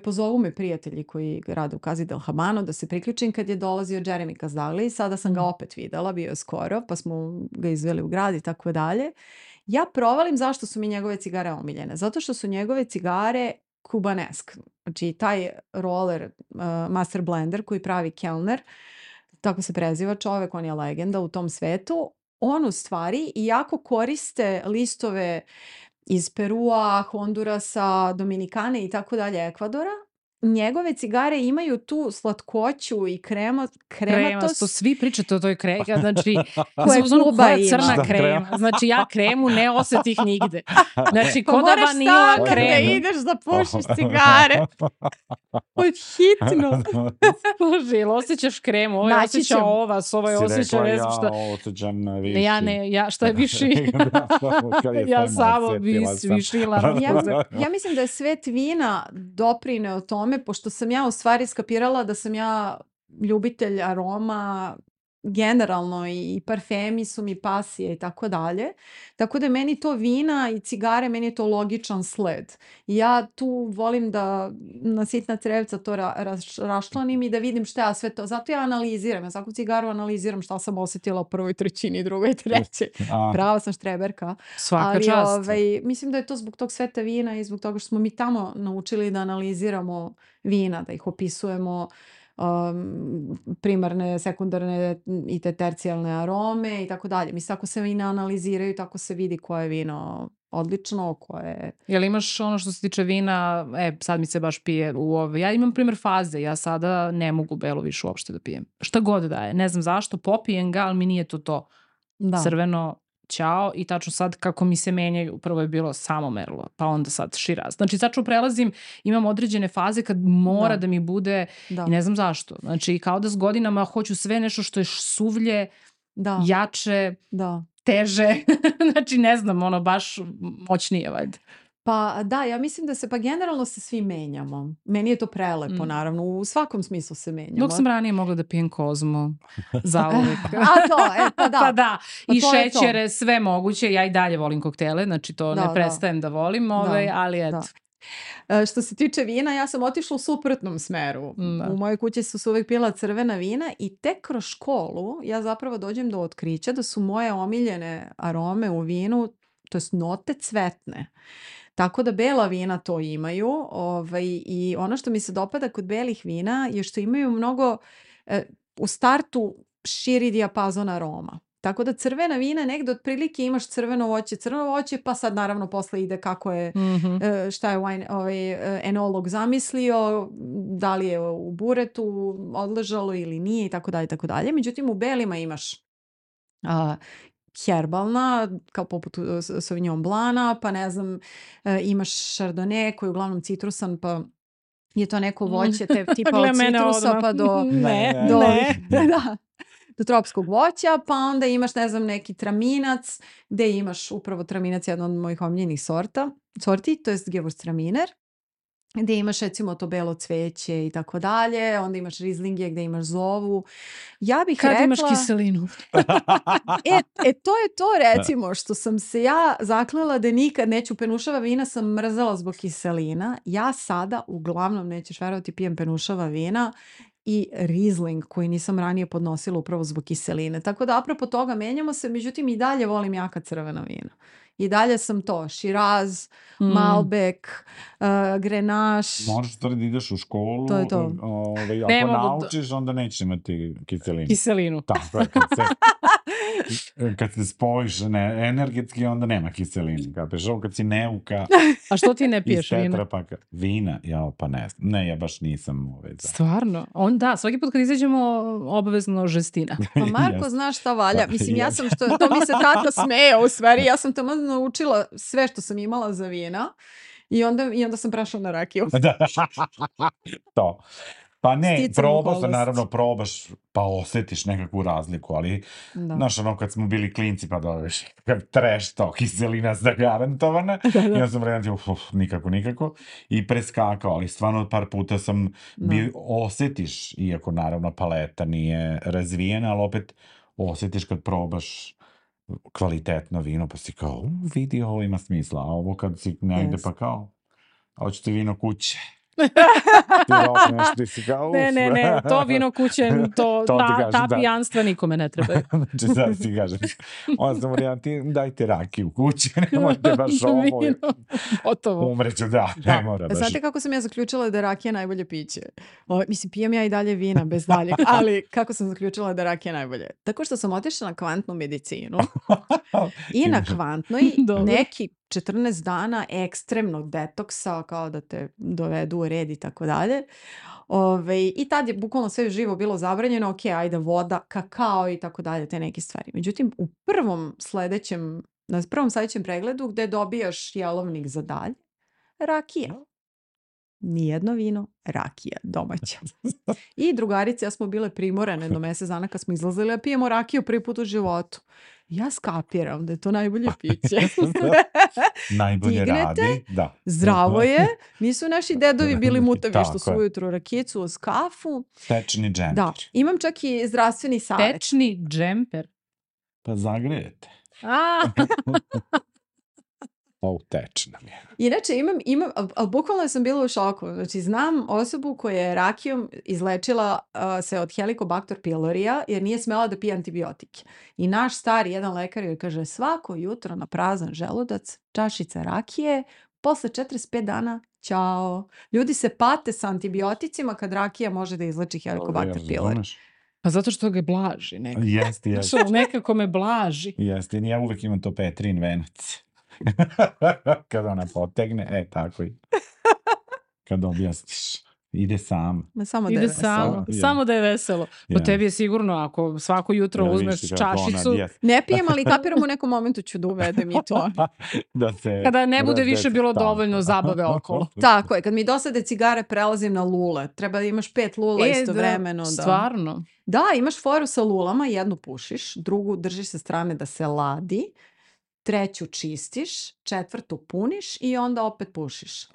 Pozovu me prijatelji koji rade u Casa del Habano da se priključim kad je dolazio Jeremy Cazdagli. Sada sam ga opet videla, bio je skoro, pa smo ga izveli u grad i tako dalje. Ja provalim zašto su mi njegove cigare omiljene. Zato što su njegove cigare kubanesk. Znači taj roller, master blender koji pravi Kellner, tako se preziva čovek, on je legenda u tom svetu. On u stvari, iako koriste listove iz Perua, Hondurasa, Dominikane i tako dalje, Ekvadora, njegove cigare imaju tu slatkoću i krematost. To svi pričate o toj kremi, znači koja crna krema. Znači ja kremu ne osetih nigde. Znači ko da vanila krema. Da ideš da pušiš cigare. Hitno. Bože, ili osjećaš kremu, ovaj osjeća ovas, ovaj osjeća ne znam šta. Ja osjećam viši. Ja šta je viši? Ja samo višila. Ja mislim da je svet vina doprineo tome, pošto sam ja u stvari skapirala da sam ja ljubitelj aroma generalno i parfemi su mi pasije i tako dalje. Tako da meni to vina i cigare, meni je to logičan sled. Ja tu volim da na sitna crevca to raščlanim i da vidim šta ja sve to. Zato ja analiziram. Ja svaku cigaru analiziram šta sam osjetila u prvoj trećini, drugoj, trećoj. Prava sam štreberka. Svaka čast. Mislim da je to zbog tog sveta vina i zbog toga što smo mi tamo naučili da analiziramo vina, da ih opisujemo primarne, sekundarne i te tercijalne arome i tako dalje. Mislim, ako se vina analiziraju, tako se vidi koje vino odlično, koje... Jel imaš ono što se tiče vina, sad mi se baš pije ja imam primjer faze, ja sada ne mogu belo više uopšte da pijem. Šta god da je, ne znam zašto, popijem ga, ali mi nije to. Da. Crveno, ćao, i tačno sad kako mi se menjaju, prvo je bilo samo merlo, pa onda sad širaz. Znači tačno prelazim, imam određene faze kad mora da mi bude, i ne znam zašto. Znači kao da s godinama hoću sve nešto što je suvlje, jače, teže, znači ne znam, ono baš moćnije valjda. Pa da, ja mislim da se, pa generalno se svi menjamo. Meni je to prelepo, naravno, u svakom smislu se menjamo. Dok sam ranije mogla da pijem Kozmo, zauvek. Pa da. Pa da, i šećere, sve moguće, ja i dalje volim koktele, znači to ne prestajem da volim, ali eto. Što se tiče vina, ja sam otišla u suprotnom smeru. U mojoj kući su uvek pila crvena vina i tek kroz školu ja zapravo dođem do otkrića da su moje omiljene arome u vinu, to jest note, cvetne. Tako da bela vina to imaju, i ono što mi se dopada kod belih vina je što imaju mnogo, u startu širi dijapazon aroma. Tako da crvena vina negdje otprilike imaš crveno voće, pa sad naravno posle ide kako je, šta je enolog zamislio, da li je u buretu odležalo ili nije i tako dalje. Međutim, u belima imaš herbalna, kao poput Sauvignon Blana, pa ne znam, imaš Chardonnay koji je uglavnom citrusan, pa je to neko voće tipa od citrusa pa do tropskog voća, pa onda imaš, ne znam, neki traminac, gde imaš upravo traminac, jedan od mojih omiljenih sorti, to je Gewürztraminer, gde imaš recimo to belo cveće i tako dalje, onda imaš rizlinge gde imaš zovu. Ja bih rekla... Kad imaš kiselinu? To je to recimo što sam se ja zaklela da nikad neću, penušava vina sam mrzala zbog kiselina. Ja sada uglavnom, nećeš verovati, pijem penušava vina i Riesling koji nisam ranije podnosila upravo zbog kiseline. Tako da apropo toga menjamo se, međutim i dalje volim jaka crvena vina. I dalje sam to, Shiraz, Malbec, Grenache. Možeš to da ideš u školu, to je to. Ako naučiš, onda nećeš imati kiselinu. Tako je, kad se spojiš energetski, onda nema kiselinu. Kad si neuka... A što ti ne piješ vina? Vina? Pa ne znam. Ne, ja baš nisam Stvarno? Svaki put kad izađemo, obavezno žestina. Pa Marko, znaš šta valja? Mislim, ja sam to mi se tata smeje u stvari, ja sam tamo naučila sve što sam imala za vina i onda sam prešla na rakiju. To. Pa ne, probaš, pa osjetiš nekakvu razliku, ali znaš, kad smo bili klinci, pa dobiješ treš to, kiselina zagarantovana, i ja sam rekao, nikako, i preskakao, ali stvarno par puta sam osjetiš, iako naravno paleta nije razvijena, ali opet osjetiš kad probaš kvalitetno vino, pa si kao, vidi, ovo ima smisla, a ovo kad si negde pa kao, hoćete vino kuće. Ne, to vino kuće, ta pijanstva nikome ne treba. Znači sad si kažem, onda sam varijanti, dajte rakiju kuće, ne možete baš ovo, umreću, ne mora baš. Znate kako sam ja zaključila da je rakija najbolje piće? Mislim, pijem ja i dalje vina bez daljeg, ali kako sam zaključila da je rakija najbolje? Tako što sam otišla na kvantnu medicinu i na kvantnoj neki 14 dana ekstremnog detoksa, kao da te dovedu u red i tako dalje. I tad je bukvalno sve živo bilo zabranjeno, ajde voda, kakao i tako dalje, te neke stvari. Međutim, u na prvom sledećem pregledu gde dobijaš jelovnik za dalje, rakija. Nijedno vino, rakija domaća. I drugarice, ja smo bile primorane do mesec dana kad smo izlazili, a pijemo rakiju prvi put u životu. Ja skapiram da je to najbolje piće. Najbolje radi. Zdravo je. Nisu naši dedovi bili mutavi što su ujutru rakicu uz kafu. Tečni džemper. Da, imam čak i zdravstveni savjet. Tečni džemper? Pa zagrejete. Tečna mi je. Inače, imam, ali bukvalno sam bila u šoku. Znači, znam osobu koja je rakijom izlečila se od Helicobacter pylorija jer nije smela da pije antibiotike. I naš stari jedan lekar joj kaže, svako jutro na prazan želudac, čašica rakije, posle 45 dana, ćao. Ljudi se pate sa antibioticima kad rakija može da izleči Helicobacter pylori. Pa zato što ga blaži nekako. Jeste. Nekako me blaži. Jeste, ja uvek imam to Petrin venac. Kad ona potegne, tako i. Kad objasniš. Ide sam. Samo da je Ide veselo. samo da je veselo. Po tebi je sigurno, ako svako jutro uzmeš čašicu... Ne pijem, ali kapiram u nekom momentu ću da uvedem i to. Kada ne bude više bilo dovoljno zabave okolo. Tako je, kad mi dosade cigare prelazim na lule. Treba da imaš 5 lula istovremeno. Stvarno? Da, imaš foru sa lulama, jednu pušiš, drugu držiš sa strane da se ladi, treću čistiš, četvrtu puniš i onda opet pušiš.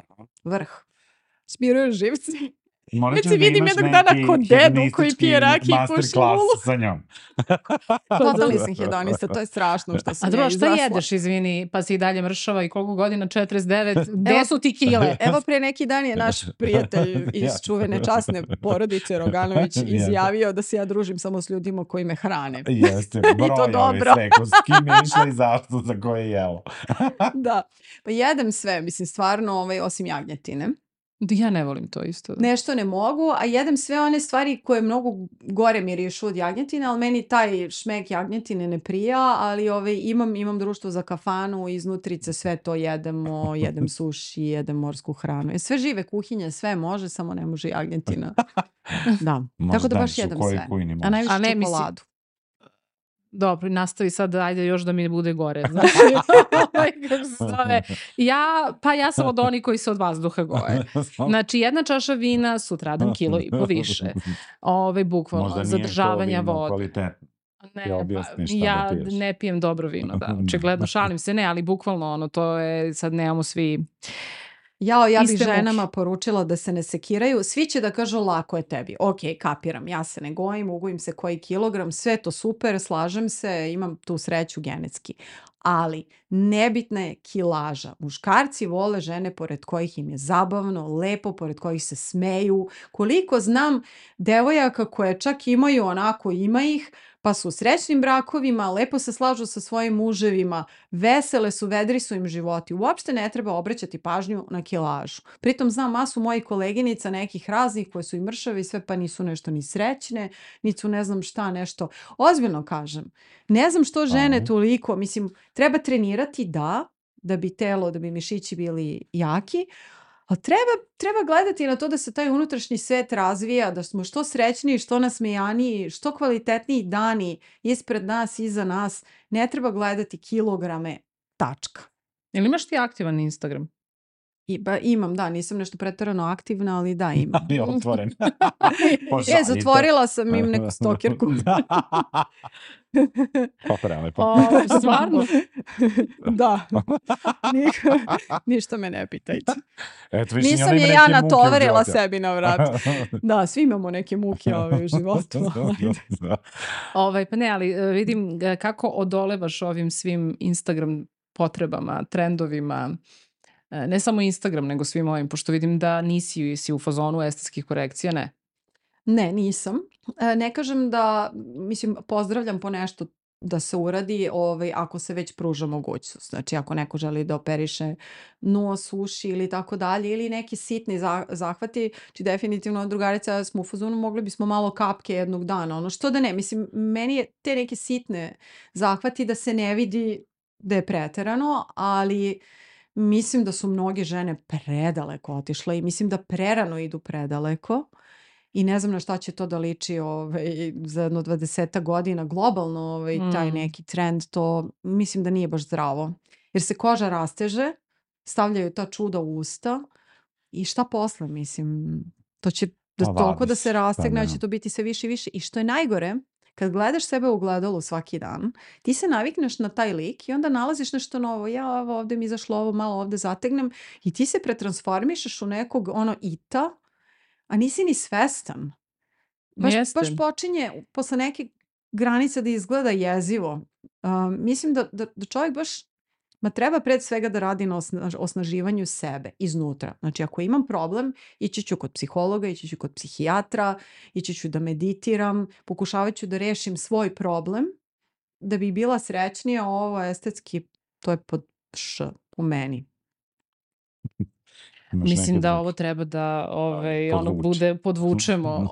Vrh. Smiruješ živci. Već se vidim jednog dana kod dedu koji pije rakiju i puši lulu. Sa njom. Totalni sam hedonista, to je strašno što sam ja izrasla. A šta jedeš, izvini, pa si i dalje mršava i koliko godina, 49, gde su ti kile? Evo pre neki dan je naš prijatelj iz čuvene časne porodice Roganović izjavio da se ja družim samo s ljudima koji me hrane. Jeste, broj sve, s kim je išla i zašto, za koje jelo. Da, pa jedem sve, mislim stvarno, osim jagnjetine. Ja ne volim to isto. Nešto ne mogu, a jedem sve one stvari koje mnogo gore mirišu od jagnjetine, ali meni taj šmek jagnjetine ne prija, ali imam društvo za kafanu, iznutrice sve to jedemo, jedem suši, jedem morsku hranu. Sve žive kuhinje, sve može, samo ne može jagnjetina. Da, tako da baš jedem sve. A najviše čokoladu. Dobro, nastavi sad, ajde još da mi bude gore. Ja sam od onih koji se od vazduha goje. Znači, jedna čaša vina, sutradan 1,5 kilo više. Bukvalno, zadržavanja vode. Ja ne pijem dobro vino, da. Očigledno, šalim se, ne, ali bukvalno to je, sad nemamo svi... Ja bih ženama poručila da se ne sekiraju. Svi će da kažu lako je tebi. Ok, kapiram, ja se ne gojim, ugojim se koji kilogram, sve to super, slažem se, imam tu sreću genetski. Ali nebitna je kilaža. Muškarci vole žene pored kojih im je zabavno, lepo, pored kojih se smeju. Koliko znam devojaka koje čak imaju onako, ima ih, pa su u srećnim brakovima, lepo se slažu sa svojim muževima, vesele su, vedri su im životi. Uopšte ne treba obraćati pažnju na kilažu. Pritom znam masu mojih koleginica nekih raznih koje su i mršave i sve, pa nisu nešto ni srećne, niti su ne znam šta nešto. Ozbiljno kažem, ne znam što žene toliko, mislim, treba trenirati da bi telo, da bi mišići bili jaki, ali treba gledati na to da se taj unutrašnji svet razvija, da smo što srećniji, što nasmejaniji, što kvalitetniji dani ispred nas, iza nas. Ne treba gledati kilograme, tačka. Ili imaš ti aktivan Instagram? Imam, da, nisam nešto preterano aktivna, ali da, imam. Ali otvoren. Zatvorila sam im neku stokirku. Stvarno? Da. Ništa me ne pitajte. Nisam je ja natovarila sebi na vrat. Da, svi imamo neke muke u životu. Pa ne, ali vidim kako odolevaš ovim svim Instagram potrebama, trendovima, ne samo Instagram, nego svim ovim, pošto vidim da nisi u fazonu estetskih korekcija, ne? Ne, nisam. Ne kažem da, mislim, pozdravljam po nešto da se uradi ako se već pruža mogućnost. Znači, ako neko želi da operiše nos, uši ili tako dalje, ili neki sitni zahvati, či definitivno drugarica smo u fazonu, mogli bismo malo kapke jednog dana. Ono što da ne, mislim, meni je te neke sitne zahvati da se ne vidi da je preterano, ali mislim da su mnoge žene predaleko otišle i mislim da prerano idu predaleko i ne znam na šta će to da liči za jedno 20 godina globalno taj neki trend, to mislim da nije baš zdravo. Jer se koža rasteže, stavljaju ta čuda u usta i šta posle, mislim, to će toliko da se rastegne, će to biti sve više i više. I što je najgore, kad gledaš sebe u ogledalu svaki dan, ti se navikneš na taj lik i onda nalaziš nešto novo. Ja ovdje mi izašlo ovo, malo ovdje zategnem i ti se pretransformišeš u nekog ita, a nisi ni svestan. Baš počinje posle neke granice da izgleda jezivo. Mislim da čovjek baš treba pred svega da radi na osnaživanju sebe iznutra. Znači, ako imam problem, ići ću kod psihologa, ići ću kod psihijatra, ići ću da meditiram, pokušavat ću da rešim svoj problem, da bi bila srećnija. Ovo estetski, to je pod u meni. Mislim da ovo treba da ono bude podvučemo.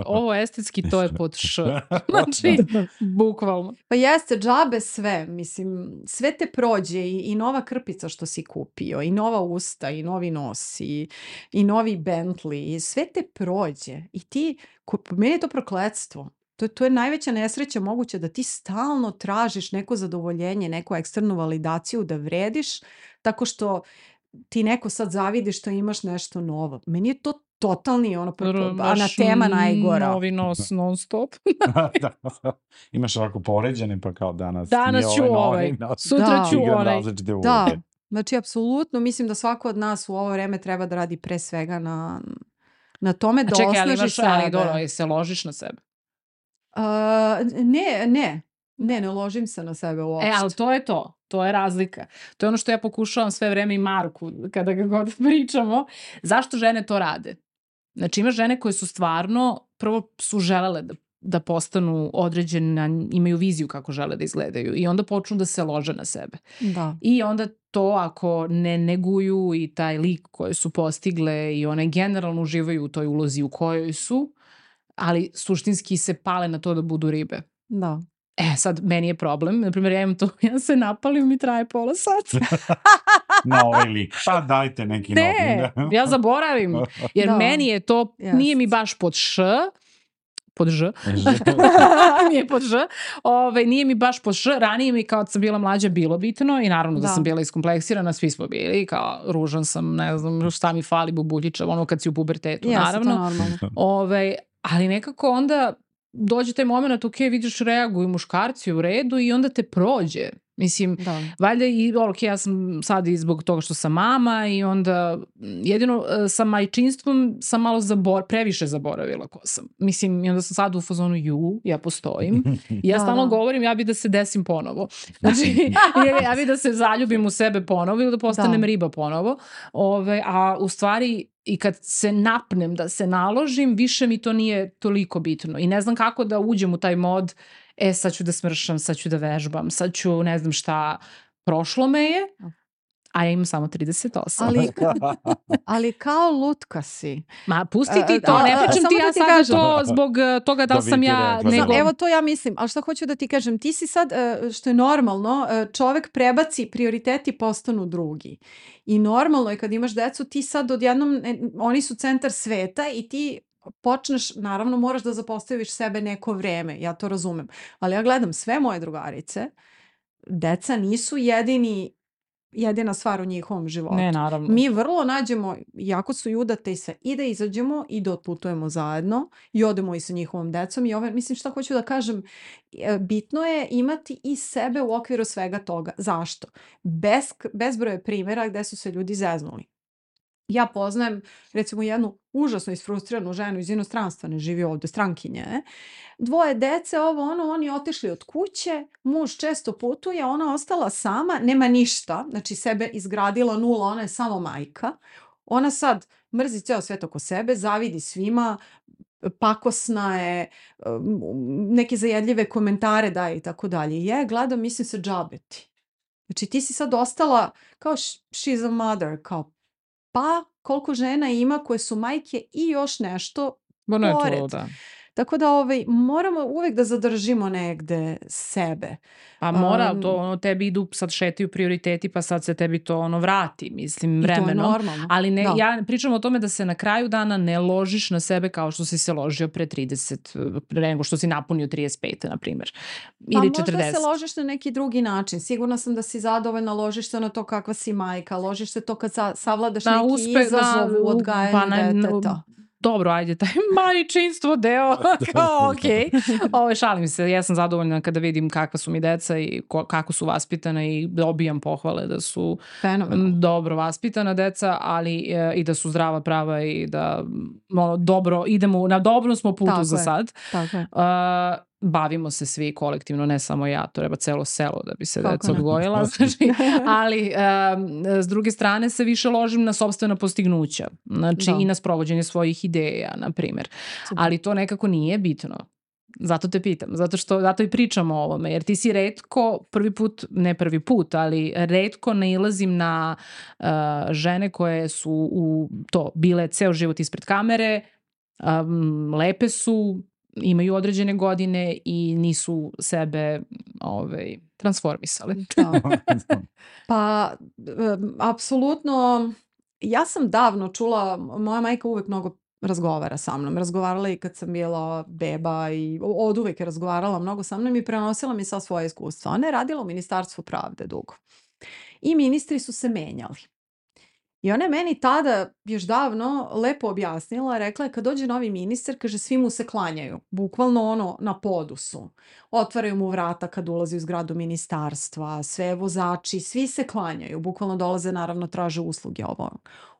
Ovo estetski, to je pod š. Znači, bukvalno. Pa jeste, džabe sve. Mislim, sve te prođe i nova krpica što si kupio, i nova usta, i novi nos, i novi Bentley, i sve te prođe. I ti, meni je to prokletstvo. To je najveća nesreća moguća, da ti stalno tražiš neko zadovoljenje, neku eksternu validaciju, da vrediš, tako što ti neko sad zavidi što imaš nešto novo. Meni je to totalni anatema najgora. Novi nos non stop. Imaš ovako poređene, pa kao danas ću sutra ću onaj. Da, znači apsolutno mislim da svako od nas u ovo vreme treba da radi pre svega na tome da osnaži sebe. Ali dobro, se ložiš na sebe? Ne ložim se na sebe uopšte. Ali to je to. To je razlika. To je ono što ja pokušavam sve vreme i Marku, kada ga god pričamo. Zašto žene to rade? Znači, ima žene koje su stvarno, prvo su želele da postanu određene, imaju viziju kako žele da izgledaju i onda počnu da se lože na sebe. Da. I onda to ako ne neguju i taj lik koje su postigle i one generalno uživaju u toj ulozi u kojoj su, ali suštinski se pale na to da budu ribe. Da. Sad, meni je problem. Naprimjer, ja se napalim, mi traje pola sata. Na ovaj lik. Pa dajte neki novi. Ne, ja zaboravim. Jer meni je to, nije mi baš pod š, pod ž. Nije pod ž. Nije mi baš pod š. Ranije mi kao sam bila mlađa bilo bitno i naravno da sam bila iskompleksirana, svi smo bili, kao ružan sam, ne znam šta mi fali, bubuljičav, ono kad si u pubertetu, naravno. Ali nekako onda dođe taj moment, ok, vidiš, reaguju muškarci u redu i onda te prođe. Mislim, valjda i ja sam sad i zbog toga što sam mama i onda jedino sa majčinstvom sam malo previše zaboravila ko sam. Mislim, i onda sam sad u fazonu, ja postojim. I ja stalno govorim, ja bi da se desim ponovo. Znači, ja bi da se zaljubim u sebe ponovo ili da postanem riba ponovo. A u stvari, i kad se napnem da se naložim, više mi to nije toliko bitno. I ne znam kako da uđem u taj mod, sad ću da smršam, sad ću da vežbam, sad ću ne znam šta, prošlo me je, a ja imam samo 38. Ali kao lutka si. Ma pusti ti to, ne pričam ti ja sad to zbog toga da li sam ja nego... Evo to ja mislim, ali šta hoću da ti kažem, ti si sad, što je normalno, čovek prebaci prioriteti, postanu drugi. I normalno je kad imaš decu, ti sad odjednom, oni su centar sveta i ti počneš, naravno moraš da zapostaviš sebe neko vreme, ja to razumem, ali ja gledam sve moje drugarice, deca nisu jedina stvar u njihovom životu. Ne, naravno. Mi vrlo nađemo, jako su udate i sve, i da izađemo i da otputujemo zajedno i odemo i sa njihovom decom i mislim šta hoću da kažem, bitno je imati i sebe u okviru svega toga. Zašto? Bezbroj je primjera gde su se ljudi zeznuli. Ja poznajem recimo jednu užasno isfrustriranu ženu iz inostranstva, ne živi ovdje, strankinje. 2 dece, oni otišli od kuće, muž često putuje, ona ostala sama, nema ništa, znači sebe izgradila 0, ona je samo majka. Ona sad mrzi ceo svet oko sebe, zavidi svima, pakosna je, neke zajedljive komentare daje i tako dalje. Ja gledam, mislim se džabeti. Znači ti si sad ostala kao she's a mother, kao pa koliko žena ima koje su majke i još nešto pored. Tako da moramo uvijek da zadržimo negde sebe. Pa mora, to tebi idu, sad šetaju prioriteti, pa sad se tebi to vrati, mislim, vremenom. I to je normalno. Ali ne, ja pričam o tome da se na kraju dana ne ložiš na sebe kao što si se ložio pre 30, nego što si napunio 35, na primjer. Ili 40. Možda se ložiš na neki drugi način. Sigurna sam da si zadovoljna, ložiš se na to kakva si majka, ložiš se to kad savladaš neki izazov u odgajanju deteta. Dobro, ajde, taj majčinstvo deo, kao okej. Šalim se, ja sam zadovoljna kada vidim kakva su mi deca i kako su vaspitana i dobijam pohvale da su dobro vaspitana deca, ali i da su zdrava, prava i da dobro, idemo, na dobrom smo putu za sad. Tako je. Bavimo se svi kolektivno, ne samo ja, to treba celo selo da bi se deca odgojila, znači, ali s druge strane se više ložim na sopstvena postignuća, znači i na sprovođenje svojih ideja, na primjer. Ali to nekako nije bitno. Zato te pitam, zato i pričamo o ovome, jer ti si retko, ne prvi put, ali retko nailazim na žene koje su bile ceo život ispred kamere, lepe su, imaju određene godine i nisu sebe transformisale. Pa, apsolutno, ja sam davno čula, moja majka uvek mnogo razgovara sa mnom. Razgovarala i kad sam bila beba i od uvek je razgovarala mnogo sa mnom i prenosila mi sva svoje iskustva. Ona je radila u Ministarstvu pravde dugo. I ministri su se menjali. I ona je meni tada, još davno, lepo objasnila, rekla je kad dođe novi ministar, kaže svi mu se klanjaju. Bukvalno na podu su. Otvaraju mu vrata kad ulazi u zgradu ministarstva, sve vozači, svi se klanjaju. Bukvalno dolaze, naravno, traže usluge ovo.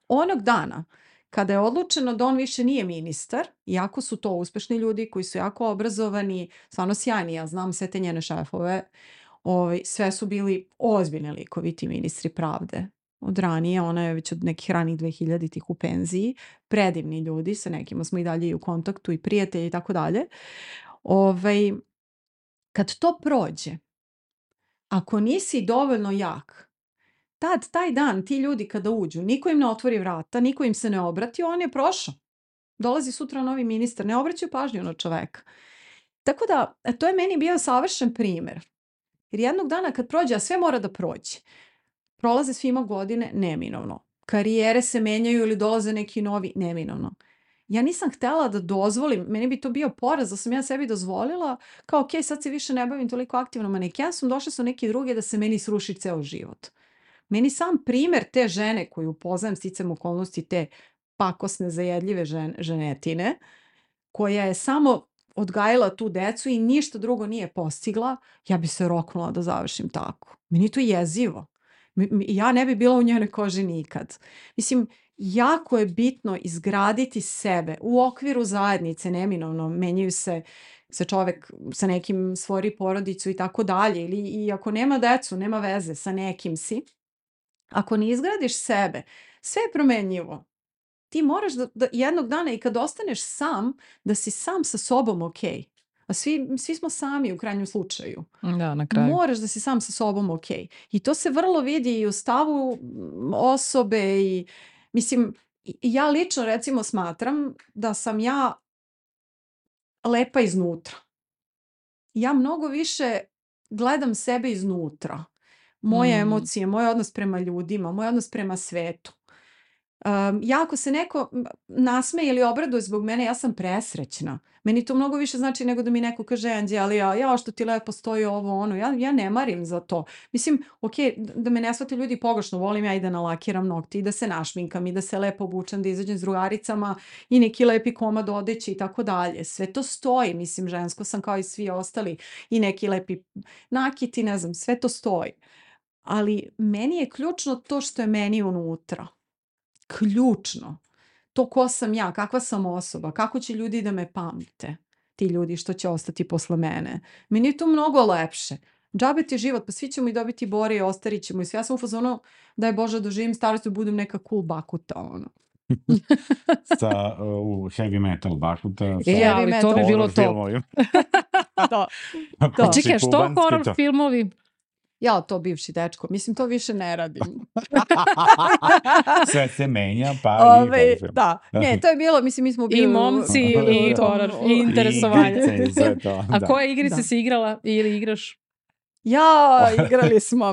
Onog dana, kada je odlučeno da on više nije ministar, iako su to uspešni ljudi koji su jako obrazovani, stvarno sjajni, ja znam sve te njene šefove, sve su bili ozbiljni likovi ti ministri pravde. Od ranije, ona je već od nekih ranih 2000-ih u penziji, predivni ljudi, sa nekima smo i dalje i u kontaktu i prijatelji i tako dalje. Kad to prođe, ako nisi dovoljno jak, taj dan ti ljudi kada uđu, niko im ne otvori vrata, niko im se ne obrati, on je prošao. Dolazi sutra novi ministar, ne obraćaju pažnju na čoveka. Tako da, to je meni bio savršen primer. Jer jednog dana kad prođe, a sve mora da prođe, prolaze svima godine, neminovno. Karijere se menjaju ili dolaze neki novi, neminovno. Ja nisam htjela da dozvolim, meni bi to bio poraz da sam ja sebi dozvolila, kao ok, sad se više ne bavim toliko aktivno manekenstvom, došle su neki drugi da se meni sruši ceo život. Meni sam primer te žene koju upoznajem sticam okolnosti, te pakosne, zajedljive ženetine, koja je samo odgajila tu decu i ništa drugo nije postigla, ja bi se roknula da završim tako. Meni to jezivo. Ja ne bi bila u njenoj koži nikad. Mislim, jako je bitno izgraditi sebe u okviru zajednice, neminovno menjaju se čovek sa nekim stvori porodicu i tako dalje, i ako nema decu, nema veze, sa nekim si. Ako ne izgradiš sebe, sve je promenljivo. Ti moraš da jednog dana i kad ostaneš sam, da si sam sa sobom ok. A svi smo sami u krajnjem slučaju. Da, na kraju. Moraš da si sam sa sobom ok. I to se vrlo vidi i u stavu osobe i mislim, ja lično recimo smatram da sam ja lepa iznutra. Ja mnogo više gledam sebe iznutra. Moje emocije, moj odnos prema ljudima, moj odnos prema svetu. Ja ako se neko nasmeje ili obraduje zbog mene, ja sam presrećna. Meni to mnogo više znači nego da mi neko kaže Anđelija, što ti lepo stoji ovo, ono. Ja ne marim za to. Mislim, ok, da me ne shvate ljudi pogrešno, volim ja i da nalakiram nokti i da se našminkam i da se lepo obučem, da izađem s drugaricama i neki lepi komad odeće i tako dalje. Sve to stoji, mislim, žensko sam kao i svi ostali i neki lepi nakiti, ne znam, sve to stoji. Ali meni je ključno to što je meni unutra. Ključno. To ko sam ja, kakva sam osoba, kako će ljudi da me pamte, ti ljudi što će ostati posle mene. Meni je to mnogo lepše. Džabe ti život, pa svi ćemo i dobiti bore i ostarit ćemo i sve. Ja sam u fazonu, daj Bože, doživim starost i budem neka cool bakuta, ono. U heavy metal bakuta. Ali to bi bilo to. Čekaj, što horror filmovi? Ja, to bivši dečko. Mislim, to više ne radim. Sve se menja, pa i film. Da. Ne, to je bilo, mislim, mi smo bili... I momci, i horor, i interesovanje. A koje igrice si igrala ili igraš? Ja, igrali smo.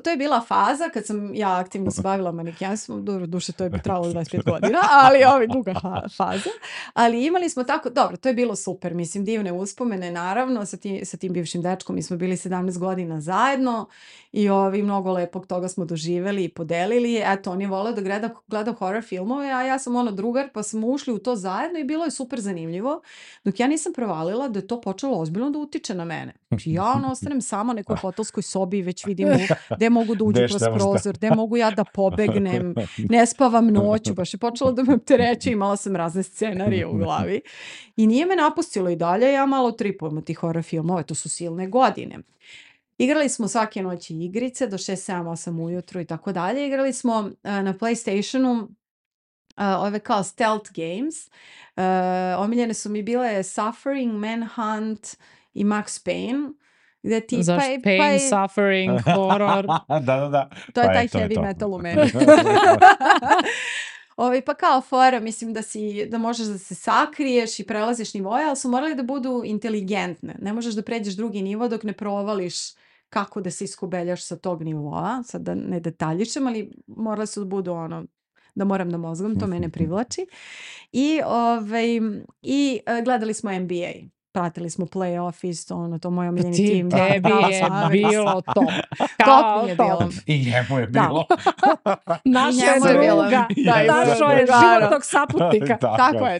To je bila faza kad sam ja aktivno se bavila manekenstvom. Duše, to je trajalo 25 godina, ali duga faza. Ali imali smo tako, dobro, to je bilo super. Mislim, divne uspomene, naravno, sa tim bivšim dečkom. Mi smo bili 17 godina zajedno i mnogo lepog toga smo doživjeli i podelili. Eto, on je voleo da gleda horror filmove, a ja sam drugar, pa smo ušli u to zajedno i bilo je super zanimljivo. Dok ja nisam provalila da je to počelo ozbiljno da utiče na mene. Ja ostanem sama u nekoj hotelskoj sobi i već vidim gde mogu da uđu kroz prozor, gde mogu ja da pobegnem, ne spavam noću, baš je počelo da me opterećuje, imala sam razne scenarije u glavi. I nije me napustilo i dalje, ja malo tripujem od tih horror filmova, to su silne godine. Igrali smo svake noći igrice do 6, 7, 8 ujutru i tako dalje. Igrali smo na PlayStationu ove kao stealth games. Omiljene su mi bile Suffering, Manhunt i Max Payne. Zašto? Pain, suffering, horror. Da. To je taj heavy metal u meni. Pa kao fora, mislim da možeš da se sakriješ i prelaziš nivoje, ali su morali da budu inteligentne. Ne možeš da pređeš drugi nivo dok ne provališ kako da se iskubeljaš sa tog nivoa. Sad da ne detaljišem, ali morali su da budu da moram da mozgom, to mene privlači. I gledali smo NBA. Pratili smo playoff isto, to moj omiljeni tim. Tebi je bilo top. Top mi je bilo. I njemu je bilo. Naša je druga. Našo je životnog saputnika.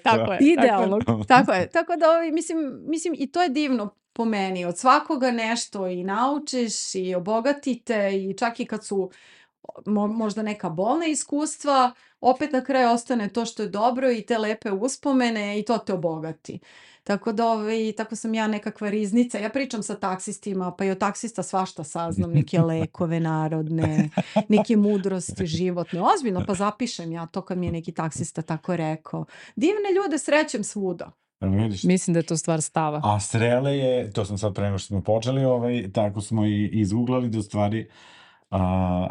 Tako je. Idealnog. Tako je. Tako da, mislim, i to je divno po meni. Od svakoga nešto i naučiš i obogatite i čak i kad su možda neka bolna iskustva, opet na kraju ostane to što je dobro i te lepe uspomene i to te obogati. Tako da tako sam ja nekakva riznica. Ja pričam sa taksistima, pa i od taksista svašta saznam, neke lekove narodne, neke mudrosti životne. Ozbiljno, pa zapišem ja to kad mi je neki taksista tako rekao. Divne ljude srećem svuda. Mislim da je to stvar stava. A Srele je, to sam sad pre nego što smo počeli, tako smo i izgooglali da u stvari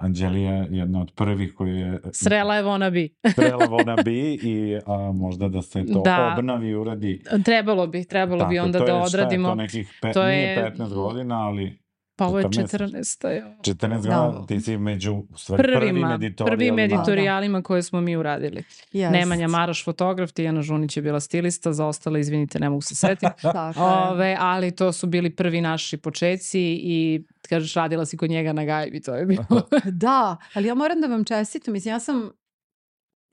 Anđelija je jedna od prvih koji je... Srela je wannabe. Srela wannabe i možda da se to obnavi i uradi. Trebalo bi onda da odradimo. To je nekih, nije 15 godina, ali... Pa ovo je 14. 14 godina, ti si među prvim editorijalima koje smo mi uradili. Nemanja Maraš fotograf, Tijana Žunić je bila stilista, za ostale, izvinite, ne mogu se setiti. Ali to su bili prvi naši počeci i kažeš, radila si kod njega na gajbi, to je bilo. Da, ali ja moram da vam čestitam, mislim, ja sam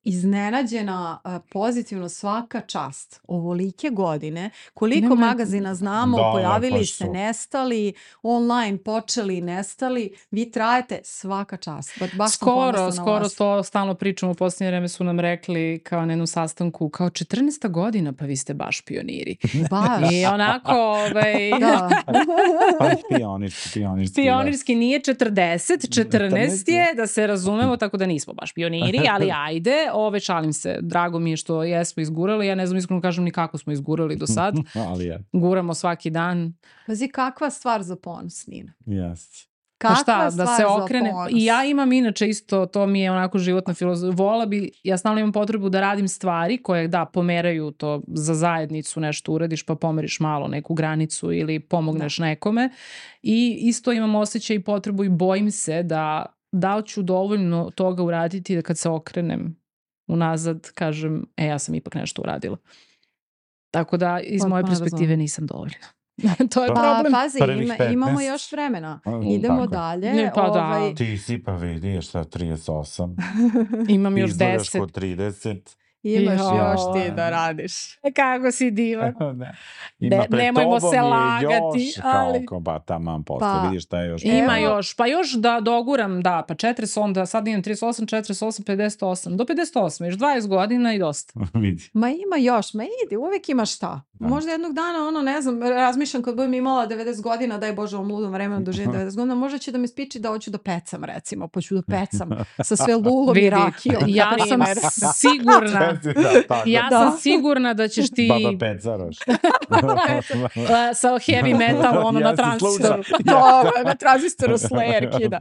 iznenađena pozitivno, svaka čast. Ovolike godine, koliko magazina znamo, pojavili se, nestali, online počeli, nestali, vi trajete, svaka čast. Skoro to stalno pričamo, u posljednje vreme su nam rekli kao na jednu sastanku, kao 14. godina, pa vi ste baš pioniri. Baš. I onako, Pa pionirski nije 14 je, da se razumemo, tako da nismo baš pioniri, ali ajde, šalim se, drago mi je što jesmo izgurali, ja ne znam iskreno kažem ni kako smo izgurali do sad. Guramo svaki dan. Pazi, kakva stvar za ponos, Nina. Jeste. Kakva stvar za ponos. I ja imam inače isto, to mi je onako životna filozofija. Ja stalno imam potrebu da radim stvari koje pomeraju to za zajednicu, nešto uradiš pa pomeriš malo neku granicu ili pomogneš nekome. I isto imam osjećaj i potrebu i bojim se da ću dovoljno toga uraditi da kad se okrenem unazad kažem, ja sam ipak nešto uradila. Tako da iz moje perspektive nisam dovoljna. To je problem. Pazi, imamo još vremena. Idemo dalje. Ti si pa vidiš šta 38. Imam još 10. Izgledaš kod 30. Imaš još ti da radiš. Kako si divan. Nemojmo se lagati. Pa taman posle, vidiš šta je još. Ima još. Pa još da doguram, pa 40, onda sad imam 38, 48, 58. Do 58, još 20 godina i dosta. Vidi. Ma ima još, idi, uvijek ima šta. Možda jednog dana, ne znam, razmišljam kad budem imala 90 godina, daj Bože, ovom ludom vremenu doživim 90 godina, možda će da me spiči da hoću da pecam, recimo, pa ću da pecam sa sve lulom i rakijom. Ja sam sigurna. Sam sigurna da ćeš ti... Baba Pecaroš. Sa heavy metal, na transistoru. Na transistoru Slayer kida.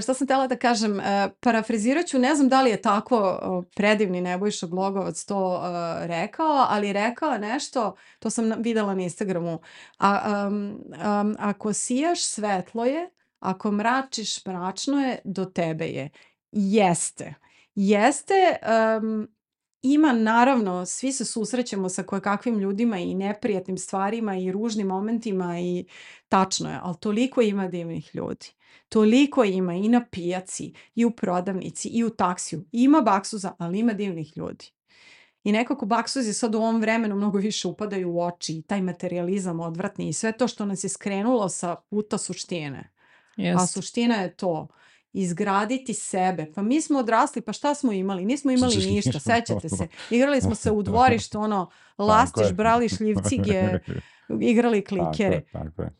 Što sam htjela da kažem, parafrazirat ću, ne znam da li je tako predivni Nebojša Glogovac to rekao, ali rekao nešto, to sam videla na Instagramu. Ako sijaš, svetlo je, ako mračiš, mračno je, do tebe je. Jeste, ima, naravno, svi se susrećemo sa kojekakvim ljudima i neprijatnim stvarima i ružnim momentima i tačno je, ali toliko ima divnih ljudi. Toliko ima i na pijaci, i u prodavnici, i u taksiju. Ima baksuza, ali ima divnih ljudi. I nekako baksuzi sad u ovom vremenu mnogo više upadaju u oči i taj materijalizam odvratni i sve to što nas je skrenulo sa puta suštine. A suština je to. Izgraditi sebe. Pa mi smo odrasli, pa šta smo imali? Nismo imali ništa, sećate se. Igrali smo se u dvorištu, lastiš, brali šljivcige, igrali klikere.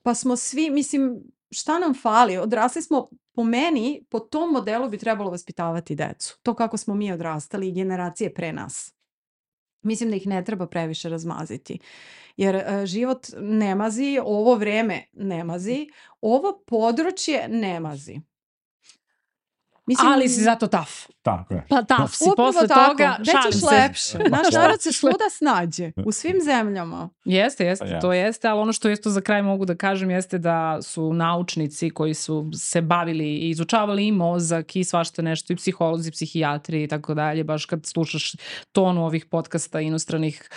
Pa smo svi, mislim, šta nam fali? Odrasli smo, po meni, po tom modelu bi trebalo vaspitavati decu. To kako smo mi odrastali i generacije pre nas. Mislim da ih ne treba previše razmaziti. Jer život ne mazi, ovo vreme ne mazi, ovo područje ne mazi. Mislim, ali si zato taf. Tako je. Pa taf si posle toga, šalim se. Lepše. Naš narod se svuda snađe, u svim zemljama. Jeste, to jeste, ali ono što isto za kraj mogu da kažem jeste da su naučnici koji su se bavili i izučavali i mozak i svašta nešto, i psiholozi, psihijatri i tako dalje, baš kad slušaš tonu ovih podcasta inostranih,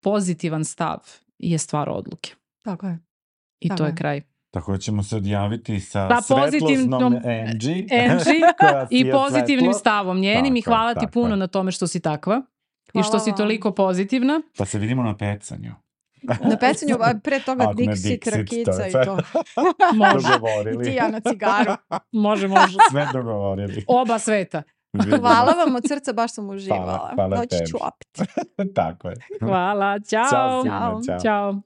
pozitivan stav je stvar odluke. Tako je. I to je kraj. Tako da ćemo se odjaviti sa svetlosnom Angie i pozitivnim stavom njenim i hvala ti puno na tome što si takva i što si toliko pozitivna. Pa se vidimo na pecanju. Na pecanju, pre toga Dixit, rakica i to. Može. I ti ja na cigaru. Može. Sve dogovorili. Oba sveta. Hvala vam od srca, baš sam uživala. Hvala Doći ću opet. Tako je. Hvala, čao. Ćao.